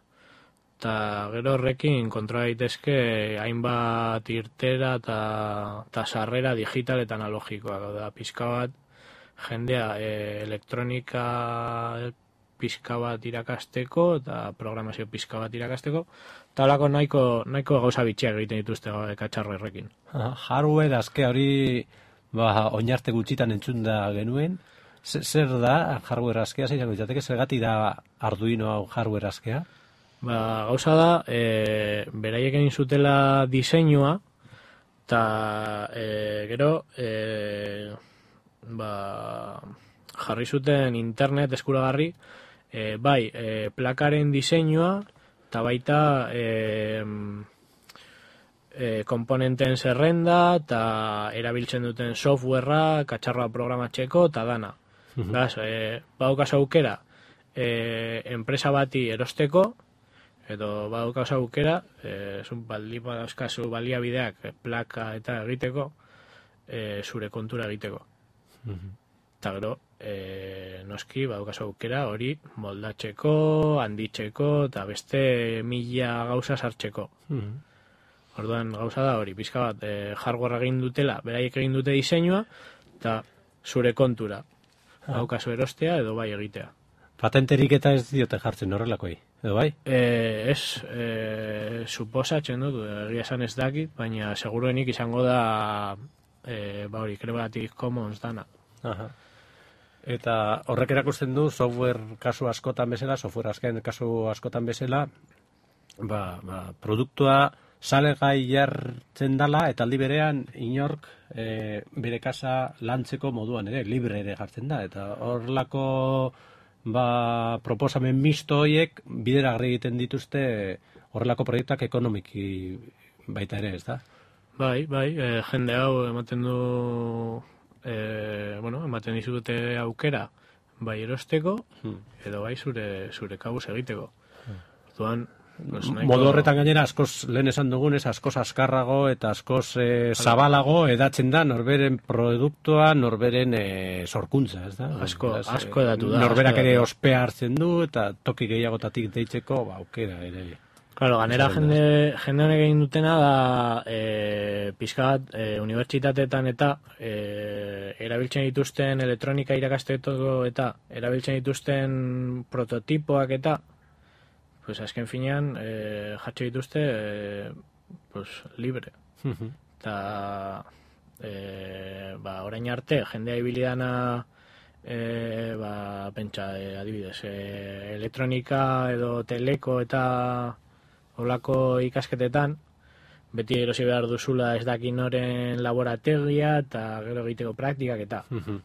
eta gero horrekin kontrola daitezke hainbat irtera eta sarrera digital eta analogikoa. Da, pizka bat, jendea e, elektronika pizka bat irakasteko eta programazio pizka bat irakasteko, eta holako nahiko, nahiko gauza bitxiak egiten dituzte katxarro errekin. Hardware aske hori... Ba, oinarte gutxitan entzunda genuen. Zer da hardware askea, zeizango izateke, zergatik da Arduino hau hardware askea? Ba, gauza da, e, beraiek egin zutela diseinua, eta e, gero e, ba, jarri zuten internet eskuragarri, e, bai, e, plakaren diseinua, eta baita... E, E, komponenten zerrenda eta erabiltzen duten softwarea, katxarroa programatzeko eta dana. Uh-huh. Bas, e, badaukaz aukera e, enpresa bati erosteko, edo badaukaz aukera, e, baldi badauzkazu baliabideak e, plaka eta egiteko, e, zure kontura egiteko. Uh-huh. Eta gero, e, noski badaukaz aukera hori moldatzeko, handitzeko eta beste mila gauza sartzeko. Uh-huh. Orduan gauza da hori, pizka bat, e, hardware egin dutela, beraiek egin dute diseinua, eta zure kontura. Daukazu erostea edo bai egitea. Patenterik eta ez diote jartzen horrelakoi, edo bai? E, ez, e, suposatzen dut, egia esan ez dakit, baina seguruenik izango da, e, ba hori, Creative Commons dana. Aha. Eta horrek erakusten du, software kasu askotan bezala, software asken kasu askotan bezala, ba, ba, produktua, salegai jartzen dala, eta aldi berean inork e, bere kasa lantzeko moduan ere, libre ere jartzen da, eta horlako ba, proposamen misto horiek bidera egiten dituzte horrelako proiektuak ekonomiki baita ere, ez da? Bai, bai, e, jende hau ematen du, e, bueno, ematen dizute aukera bai erosteko, hmm. edo bai zure, zure kabuz egiteko. Orduan, Pues modu horretan gainera askoz lehen esan dugunez, askoz askarrago eta askoz e, zabalago edatzen da norberen produktua, norberen e, sorkuntza, ez da? Asko, Beraz, asko edatu da. Norberak ere ospea hartzen du eta toki gehiagotatik deitzeko, ba, aukera ere. Claro, ganera jende, jende honek egin dutena da e, pizka bat e, unibertsitateetan eta e, erabiltzen dituzten elektronika irakasteko eta erabiltzen dituzten prototipoak eta pues azken finean eh, jatxe dituzte eh, pues, libre. Uh-huh. Eta eh, ba, orain arte, jendea ibilidana eh, ba, pentsa, eh, adibidez, eh, elektronika edo teleko eta olako ikasketetan, beti erosi behar duzula ez dakin noren laborategia eta gero egiteko praktikak eta. Uh-huh.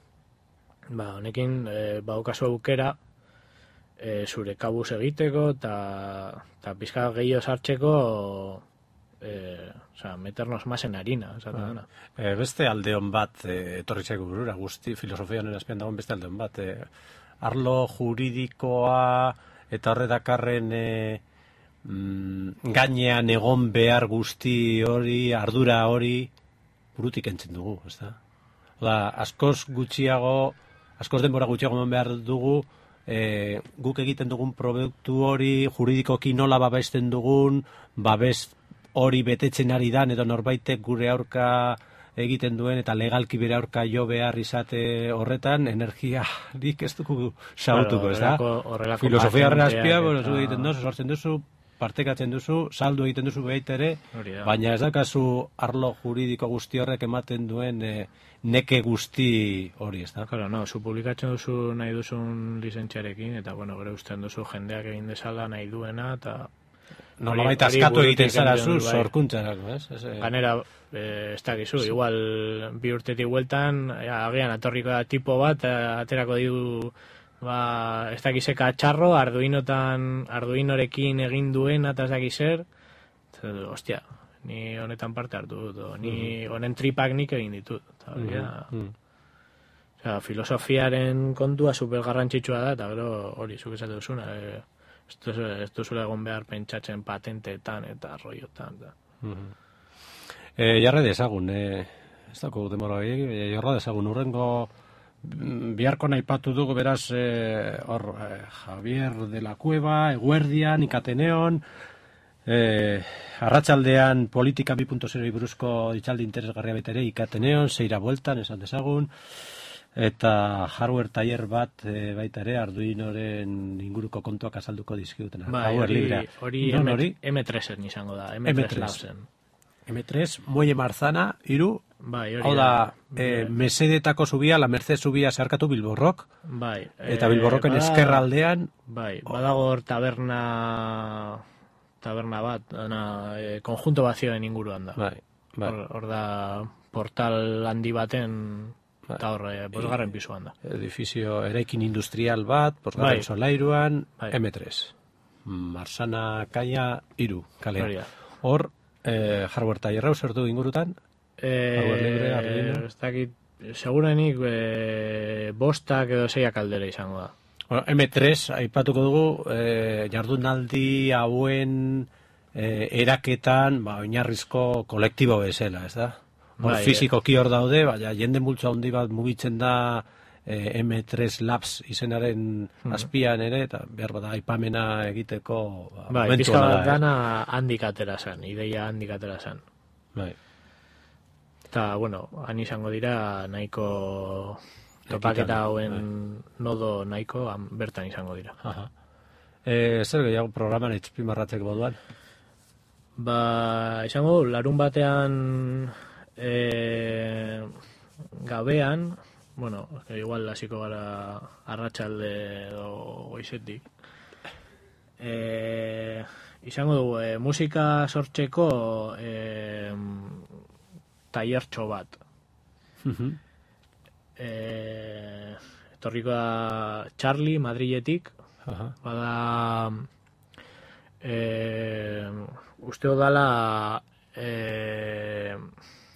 Ba, honekin eh, baukazu aukera, E, zure kabuz egiteko eta pizka gehiago sartzeko e, oza, meternos más en harina. Ah. E, beste aldeon bat e, etorri zaigu burura, guzti filosofian erazpian dagoen beste aldeon bat. E, arlo juridikoa eta horretakarren e, mm, gainean egon behar guzti hori, ardura hori burutik entzen dugu, ez da? Oda, askoz gutxiago, askoz denbora gutxiago eman behar dugu, e, guk egiten dugun produktu hori, juridikoki nola babesten dugun, babes hori betetzen ari dan, edo norbaitek gure aurka egiten duen, eta legalki bere aurka jo behar izate horretan, energiarik ez dugu sautuko, ez da? Filosofia horren azpia, bueno, zu egiten duzu, sortzen duzu, partekatzen duzu, saldu egiten duzu behit ere, baina ez dakazu arlo juridiko guzti horrek ematen duen e, neke guzti hori, ez da? Claro, no, zu publikatzen duzu nahi duzun lizentziarekin, eta, bueno, gure usten duzu jendeak egin dezala nahi duena, eta... Nolabait askatu egiten zara zu, sorkuntzarako, ez? Ganera, ez dakizu, igual bi urtetik bueltan, agian atorriko da tipo bat, aterako ditu... Ba, ez dakizeka txarro, Arduinotan, Arduinorekin egin duen, eta ez dakizer, ostia, ni honetan parte hartu dut, ni honen tripak nik egin ditut. Eta, mm -hmm. Osea, filosofiaren kontua super garrantzitsua da, eta gero hori, zuk esate duzuna, e, ez duzula egon behar pentsatzen patenteetan eta arroiotan. Mm -hmm. e, jarra dezagun, e, ez dako demora gehiagik, jarra dezagun, urrengo... Biharko naipatu dugu beraz eh, hor, eh, Javier de la Cueva, Eguerdian, Ikateneon, eh, arratsaldean politika bi puntu zero buruzko itzaldi interesgarria betere Ikateneon, zeira bueltan, esan dezagun, eta hardware taller bat eh, baita ere Arduinoren inguruko kontuak azalduko dizkigutena. Bai, hori, hori eme tresen izango da, eme tres Labsen. eme tres, Muelle Marzana, iru, bai, hau da, e, mesedetako zubia, la Merced zubia zeharkatu Bilborrok, bai, eta Bilborroken e, eskerraldean... Bai, badago hor taberna, taberna bat, dana, e, konjunto bazioen inguruan da. Bai, bai. Hor, hor da portal handi baten, bai. Eta hor, e, bosgarren pisuan da. Edifizio eraikin industrial bat, bosgarren bai. Solairuan, bai. eme tres. Marzana kaia, iru, kalean. Hor, Eh, hardware taller zertu ingurutan? Eh, hardware libre, Arduino? Ez dakit, segurenik eh, bostak edo zeiak aldera izango da. Bueno, eme tres, aipatuko dugu, eh, jardunaldi hauen eh, eraketan, ba, oinarrizko kolektibo bezala, ez da? Hor bai, fizikoki hor daude, baina jende multzo handi bat mugitzen da eh, eme tres Labs izenaren hmm. azpian ere, eta behar bada aipamena egiteko... Ba, bai, pizka bat dana handik atera zen, ideia handik atera zen. Bai. Eta, bueno, han izango dira nahiko topaketa hauen bai. Nodo nahiko han, bertan izango dira. Aha. E, zer gehiago programan etxpimarratzeko moduan? Ba, izango larun batean e, gabean, bueno, igual hasiko gara arratsalde edo goizetik. Eh, izango dugu e, musika sortzeko e, tailertxo bat. Uh-huh. Eh, etorriko da Charlie Madriletik. Uh-huh. Bada eh, uste dala eh,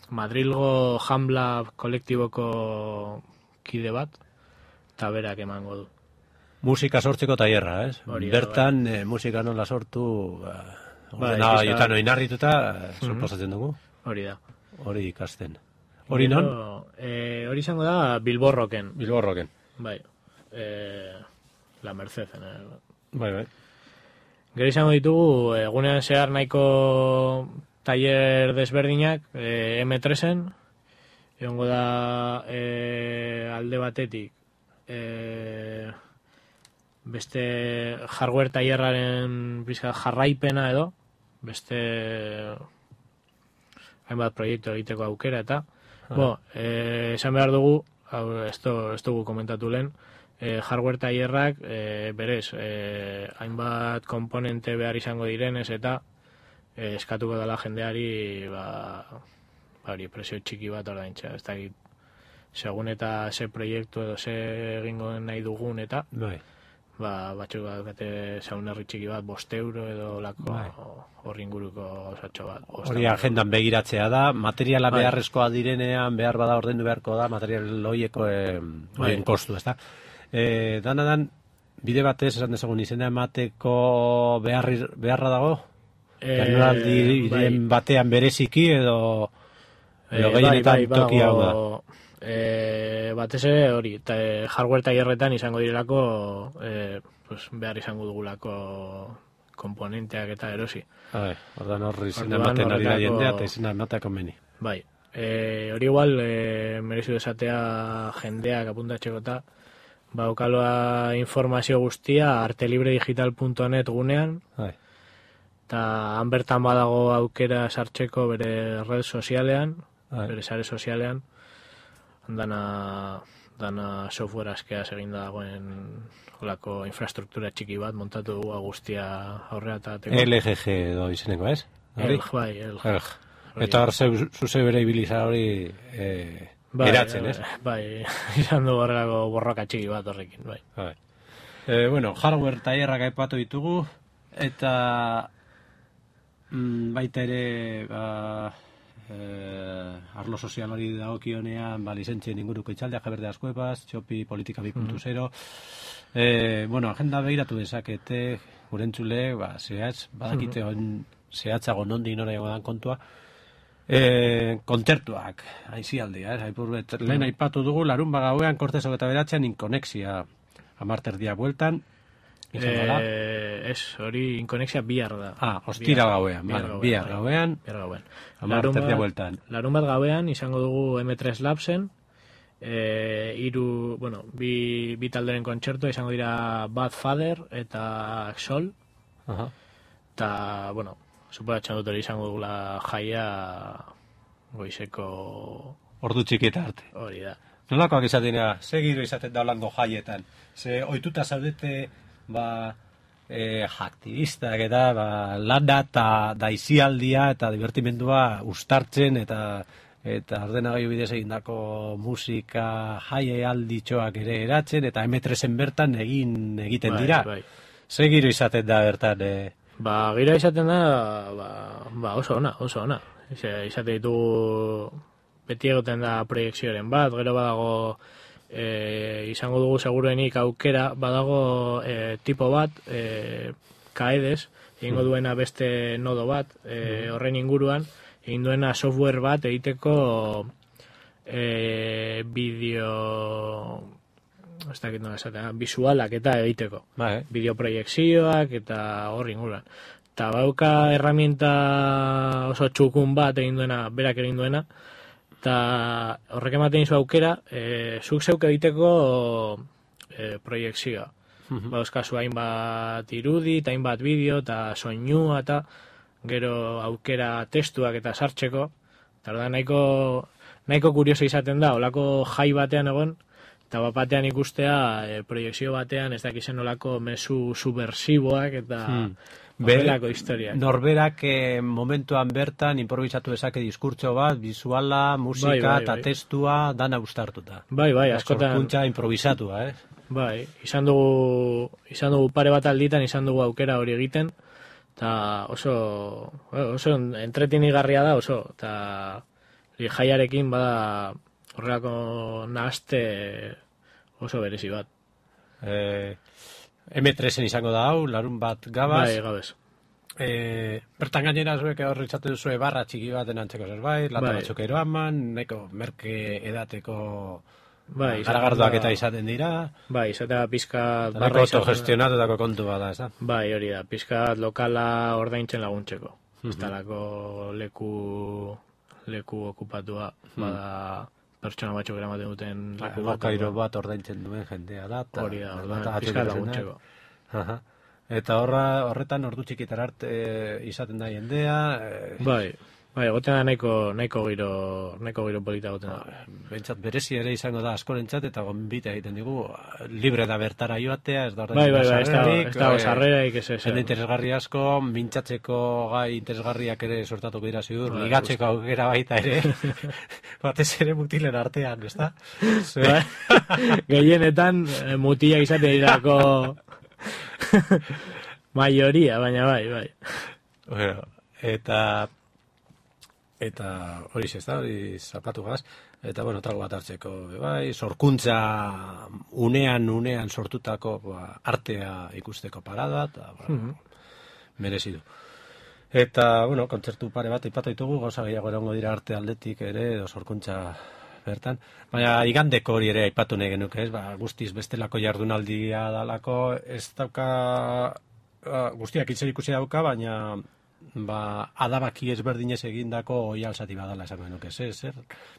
Madrilgo Jambla kolektiboko kide bat, eta berak emango du. Musika sortzeko tailerra, ez? Hori, bertan, bai. e, musika nola sortu, ba, ba, jotan oinarrituta, mm-hmm. sorposatzen dugu. Hori da. Hori ikasten. Hori non? E, hori izango da Bilborroken. Bilborroken. Bai. E, la Merced. Eh. Bai, bai. Gero izango ditugu, egunean zehar nahiko tailer desberdinak, e, eme tresen, egongo da e, alde batetik, e, beste hardware tailerraren bizka jarraipena edo, beste hainbat proiektu egiteko aukera eta, ah. bo, e, esan behar dugu, hau, ez dugu komentatu lehen, e, hardware tailerrak e, berez, e, hainbat komponente behar izango direnez eta e, eskatuko dela jendeari ba, bari, presio txiki bat ordaintza, ez dakit, segun eta ze proiektu edo ze egingo nahi dugun eta, bai. Ba, batzuk bat bete zaunarri txiki bat, bost euro edo lako bai. Horri inguruko osatxo bat. Hori agendan begiratzea da, materiala bai. Beharrezkoa direnean, behar bada ordendu beharko da, material loieko e, bai. Kostu, ez da. E, danadan, bide batez, esan dezagun, izena emateko beharri, beharra dago? E, Jardunaldi bai. Batean bereziki edo, edo e, gehienetan bai, bai, toki hau da? e, batez ere hori, eta e, hardware tailerretan izango direlako e, pues, behar izango dugulako komponenteak eta erosi. Bai, ordan horri izena Orduan, ematen ari da horretako- jendea eta izena ematea konbeni. Bai, e, hori igual e, merezi du esatea jendeak apuntatzeko eta baukaloa informazio guztia artelibredigital puntu net gunean, Bai. eta han bertan badago aukera sartzeko bere red sozialean, Bai. bere sare sozialean, dana, dana software askea eginda dagoen holako infrastruktura txiki bat montatu dugu guztia aurrera atateko. L G G edo izeneko, ez? Hori? Elg, bai, elg. Elg. Eta hor zeu- zuze bere ibiliza hori eh, Bai, eratzen, ez? Bai, izan du horrelako borroka txiki bat horrekin, bai. Bai. E, bueno, hardware tailerrak aipatu ditugu, eta mm, baita ere, ba, e, arlo sozialari dagokionean, ba, lizentzien inguruko itxaldeak jaberde askuepaz, txopi politika bi puntu zero. E, bueno, agenda behiratu dezakete, gurentzule, ba, zehatz, badakite on, zehatzago nondi nora dago dan kontua, E, kontzertuak, aizialdia, eh? Aipur, lehen aipatu dugu, larun bagauean, kortezok eta beratzean, inkonexia amarterdia bueltan, izango da. Eh, ez, hori inkonexia bihar da. Ah, ostira gauean, bihar bihar, gauean, bihar bai. gauean, Bihar gauean. amarterdia Larun bat- bueltan. Larun bat gauean izango dugu M tres Labsen, e, iru, bueno, bi, bi talderen kontzertua izango dira Bad Father eta Sol, Aha. eta, bueno, suposatzen dut hori izango dugula jaia goizeko Ordu txiki eta arte. hori da. Nolakoak izaten dira, ze giro izaten da holango jaietan? Ze ohituta zaudete, ba, e, aktivistak eta ba, lana eta daizialdia eta divertimendua ustartzen eta eta ordenagailu bidez egindako musika jaialditxoak ere eratzen eta M tresen bertan egin egiten Bai, dira. bai. Ze giro izaten da bertan, e, Ba, gira izaten da, ba, ba oso ona, oso ona. Ize, izate ditugu, beti egoten da proiekzioaren bat, gero badago, e, izango dugu seguruenik aukera, badago e, tipo bat, e, kaedes, egingo duena beste nodo bat, e, horren inguruan, egin duena software bat egiteko e, bideo, ez dakit nola esatea, visualak eta egiteko. ba, eh? Bideoproiekzioak eta horri inguruan. Eta bauka herramienta oso txukun bat egin duena, berak egin duena, eta horrek ematen izu aukera, e, zuk zeuk egiteko e, proiekzioa. Bauzkazu hainbat irudi, eta hainbat bideo, eta soinua, eta gero aukera testuak eta sartzeko. Eta da nahiko, nahiko kurioso izaten da, olako jai batean egon, eta bat batean ikustea e, proiekzio batean ez dakizen olako mezu subversiboak eta Hmm. horrelako historiak. Norberak eh, momentuan bertan improvisatu dezake diskurtso bat, visuala, musika Bai, bai, eta bai. testua dana ustartuta. Bai, bai, askotan, Sorkuntza improvisatua, eh? bai, izan dugu, izan dugu pare bat alditan, izan dugu aukera hori egiten, eta oso, oso entretenigarria da, oso, eta hori jaiarekin bada horrelako nahaste oso berezi bat. Eh, M tresen izango da hau, larun bat gabaz. Bai, gabez. Eh, bertan gainera zuek hor itzatu duzue barra txiki baten antzeko zerbait, lata Bai. batzuk eroaman, neko merke edateko Bai, izaten garagardoak da- eta izaten dira, Bai, izatea pizka eta barra izaten da. autogestionatutako kontu bada, ez da? Bai, hori da, pizkat lokala ordaintzen laguntzeko. Ez talako leku, leku okupatua, bada pertsona batzuk eramaten duten leku bat. Lokairo bat ordaintzen duen jendea da. eta- Hori da, eta orduan, ateratzen pizkat da. laguntzeko. Aha. Eta horra, horretan ordu txikitar arte eh, izaten da jendea, eh, Bai, bai, egoten da nahiko, nahiko giro, nahiko giro polita egoten da. bentsat berezi ere izango da askorentzat eta gonbita egiten digu, libre da bertara joatea, ez da Bai, bai, bai, ez dago- sarrerarik, ez dago eh, sarrerarik, ez ez. jende interesgarri asko, mintzatzeko gai interesgarriak ere sortatuko dira ziur, Bai, ligatzeko aukera baita ere, batez ere mutilen artean, ez da? Bai, gehienetan eh, mutilak izate dirako maioria, baina bai, bai. Bueno, eta eta hori ez da, hori zapatu gaz, eta bueno, trago bat hartzeko, be bai, sorkuntza unean, unean sortutako ba, artea ikusteko parada, eta ba, merezi du. Eta, bueno, kontzertu pare bat aipatu ditugu, gauza gehiago erango dira arte aldetik ere, edo sorkuntza bertan. Baina igandeko hori ere aipatu nahi genuke, ez? Ba, guztiz bestelako jardunaldia dalako, ez dauka, uh, guztiak itzer ikusi dauka, baina ba, adabaki ezberdinez egindako oialzati badala esango genuke, zer, zer,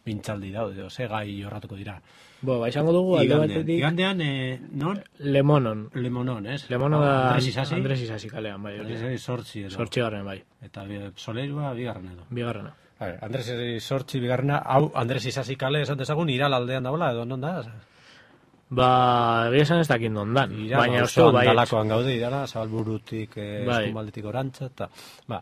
mintzaldi daude, ze gai jorratuko dira. Bo, ba, izango dugu, alde batetik... Igandean, eh, non? Lemonon. Lemonon, ez? Lemonon da... Andres Isasi? Andres Isasi kalean, bai. Andres Isasi sortzi edo. Sortzi garren, bai. Eta Solerua bigarren edo. Bigarrena. Bai, Andres sortzi bigarrena, hau Andres Isasi kale esan dezagun, Iral aldean dagoela, edo non da? Ba, egia esan ez dakit nondan. Iral, baina uste bai. Dalakoan gaude, Irala, Zabalburutik, eh, bai. Eskumaldetik orantza, eta, ba...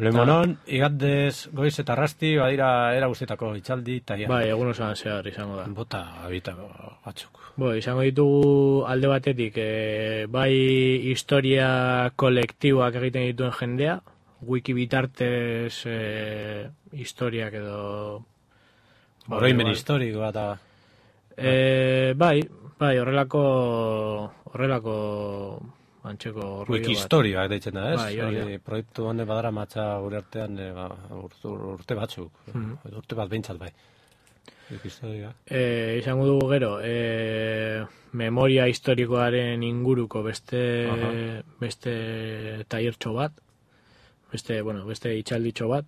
Lemonon, igandez, goiz eta arrasti, badira, era guztietako itxaldi, eta ja. Bai, egun osoan zehar izango da. Bota, abita batzuk. Bo, izango ditugu alde batetik, e, bai historia kolektiboak egiten dituen jendea, wiki bitartez e, historiak edo... Oroimen bai, historikoa eta... E, bai, bai, horrelako... Horrelako... Antxeko wiki historioak deitzen da, ez? Bai, hori, proiektu honen badara matza gure artean e, ba, urte, urte batzuk, mm-hmm. urte bat behintzat bai. Wiki historioak. E, izango dugu gero, e, memoria historikoaren inguruko beste Aha. beste tailertxo bat, beste, bueno, beste itxalditxo bat.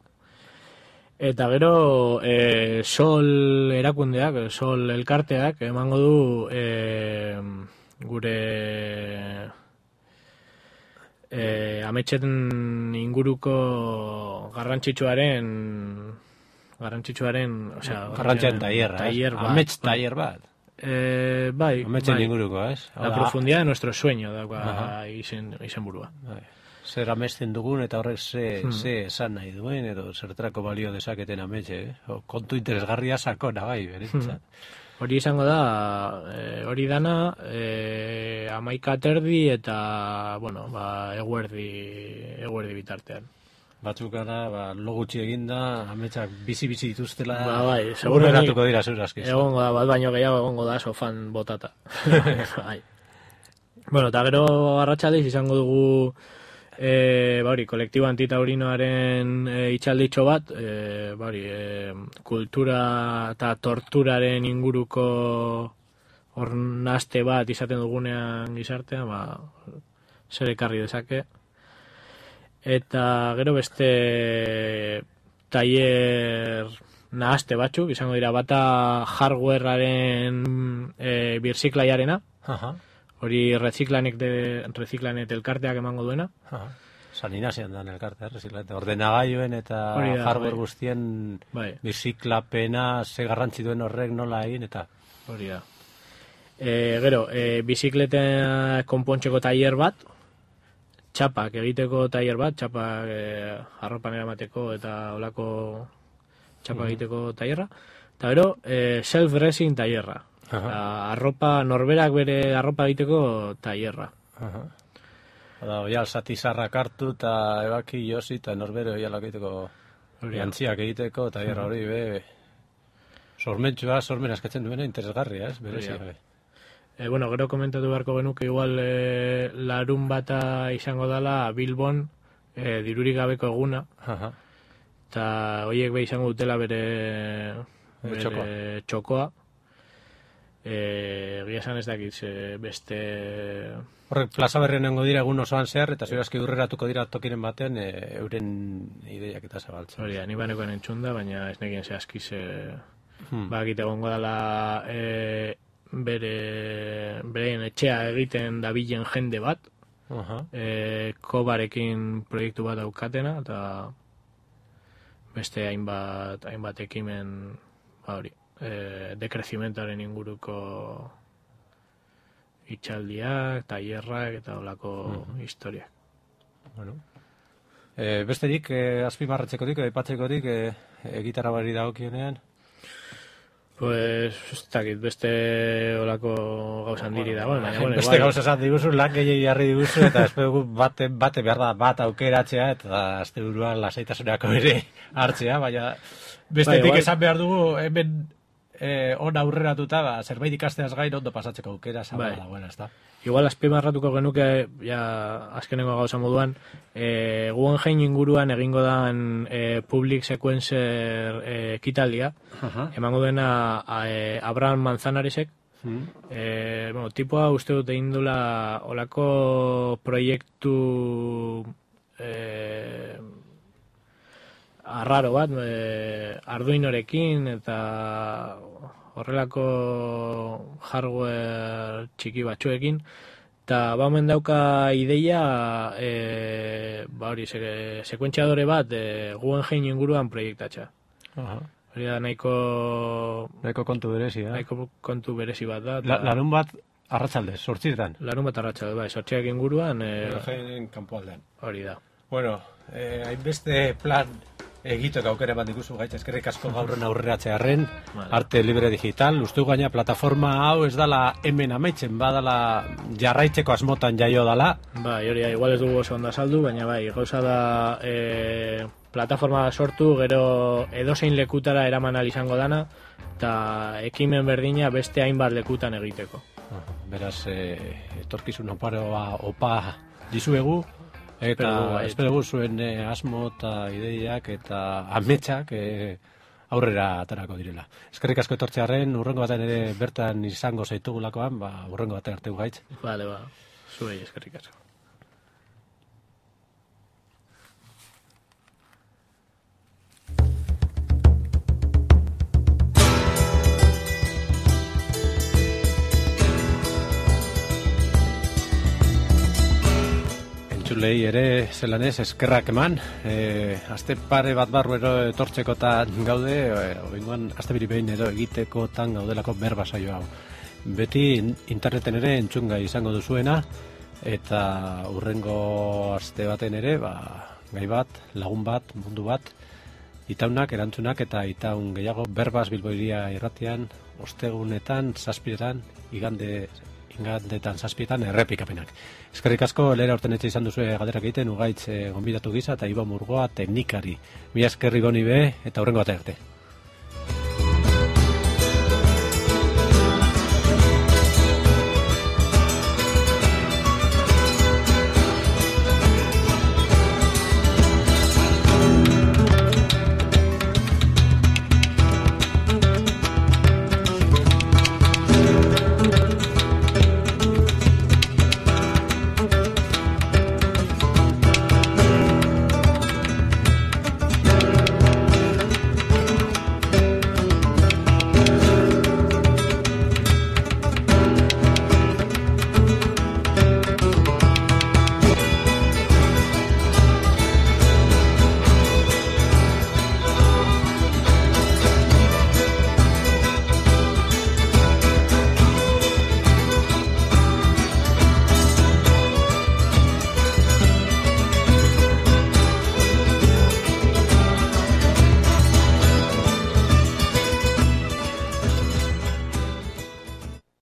Eta gero, e, Sol erakundeak, Sol elkarteak, emango du e, gure... E, ametxeten inguruko garrantzitsuaren garrantzitsuaren, osea, garrantzitsuaren taierra, taier bat. Amets taier bat. Eh, bai, ametxen bai. inguruko, ez? La Oda, profundidad de nuestro sueño da izen izen burua. Bai. Zer amesten dugun eta horrek ze hmm. ze esan nahi duen edo zertarako balio dezaketen ametxe, eh? Kontu interesgarria sakona bai, berentzat. Hmm. Hori izango da, e, hori dana, e, amaika terdi eta, bueno, ba, eguerdi, eguerdi bitartean. Batzuk gara, ba, lo gutxi eginda, ametsak bizi-bizi dituztela, ba, bai, urreratuko dira zurazkiz. Egongo da, bat baino gehiago egongo da, sofan botata. Bai. Bueno, eta gero arratsalez izango dugu, E, bari, kolektibo antitaurinoaren e, itxalditxo bat, e, bari, e, kultura eta torturaren inguruko ornaste bat izaten dugunean gizartean, ba, zer ekarri dezake. Eta gero beste tailer nahaste batzuk, izango dira, bata hardwarearen e, birziklaiarena, Aha. Hori reziklanek de reziklanet elkarteak emango duena. San Inazian dan elkartea, reziklanet. Ordenagailuen eta da, hardware bai. Guztien bai. Biziklapena, ze garrantzi duen horrek nola egin, eta... Hori da. E, gero, e, bizikleten konpontxeko tailer bat, txapak egiteko tailer bat, txapak e, arropan eramateko eta olako txapak mm-hmm. egiteko tailerra. Eta gero, e, self-dressing tailerra. La, arropa, norberak bere arropa egiteko tailerra. Oda, oial satizarrak hartu eta ebaki josi eta norbere oialak egiteko jantziak egiteko tailerra hori be sormentsua, sormen askatzen duena interesgarria, ez? Berezia, be. E, bueno, gero komentatu beharko genuke igual e, larun bata izango dela Bilbon e, dirurik gabeko eguna. Eta horiek be izango dutela bere, bere txokoa. txokoa. Egia esan ez dakit beste... Horrek plaza berrien nengo dira egun osoan zehar, eta zurazki urreratuko dira tokiren batean e, euren ideiak eta zabaltzen. Hori da, ni banekoen entzunda, baina ez nekien zehazkiz e, hmm. bakite gongo dela e, bere beren etxea egiten dabilen jende bat, uh-huh. e, kobarekin proiektu bat daukatena, eta beste hainbat, hainbat ekimen ba hori. E, dekrezimentaren inguruko itxaldiak, tailerrak eta olako mm-hmm. historiak. Bueno. E, besterik, e, azpimarratzekorik, aipatzekorik, e, e, gitarra bari dagokionean? Pues, ez dakit, beste olako gauzan diri dago. Baina, bueno, beste gauza esan diguzu, lan gehiagi jarri diguzu, eta espegu bate, bate behar da bat aukeratzea, eta azte buruan lasaitasunako ere hartzea, baina bestetik bai, esan behar dugu, hemen eh, on aurreratuta, ba, zerbait ikasteaz gain ondo pasatzeko aukera zabala Bai. dagoela, ezta? Igual azpimarratuko genuke, ja, azkenengo gauza moduan, e, Guggenheim inguruan egingo dan e, public sequencer e, ekitaldia, Aha. emango dena a, e, Abraham Manzanaresek, Mm. e, bueno, tipoa uste dut egin dula olako proiektu e, arraro bat, e, Arduinorekin eta horrelako hardware txiki batzuekin, eta ba omen dauka ideia e, ba hori, se, sekuentziadore bat e, Guggenheim inguruan proiektatxa. Aha. Hori da nahiko, Nahiko kontu berezi, eh? nahiko kontu berezi bat da. La, larun bat arratsaldez, sortzirtan. Larun bat arratsalde, bai, sortziak inguruan e, Guggenheim kanpoaldean. hori da. Bueno, eh, hainbeste plan egiteko aukera bat diguzu gaitz, eskerrik asko gaurren aurreratzearren, Vale. Arte Libre Digital, uste gaina plataforma hau ez dala hemen amaitzen, badala jarraitzeko asmotan jaio dala. Bai, hori da, igual ez dugu oso ondo azaldu, baina bai, gauza da e, plataforma sortu, gero edozein lekutara eraman ahal izango dana, eta ekimen berdina beste hainbat lekutan egiteko. Beraz, eh, etorkizun oparoa opa dizuegu, eta Espero dugu, bai. espero dugu zuen eh, asmo eta ideiak eta ametsak eh, aurrera aterako direla. Eskerrik asko etortzearren, urrengo batean ere bertan izango zaitugulakoan, ba, urrengo batean arte gaitz. Bale, ba, zuei eskerrik asko. Entzulei ere zelan ez eskerrak eman, e, aste pare bat barru ero etortzekotan gaude, e, oingoan aste biri behin ero egitekotan gaudelako berba saio hau. Beti interneten ere entzungai izango duzuena, eta urrengo aste baten ere, ba, gai bat, lagun bat, mundu bat, itaunak, erantzunak eta itaun gehiago berbaz Bilboiria irratian, ostegunetan, zazpiretan, igande ingandetan zazpietan errepikapenak. Eskerrik asko, lehera urten etxe izan duzue galderak egiten, ugaitz e, gonbidatu gisa eta Iba Murgoa teknikari. Mila eskerri goni be eta hurrengo arte arte.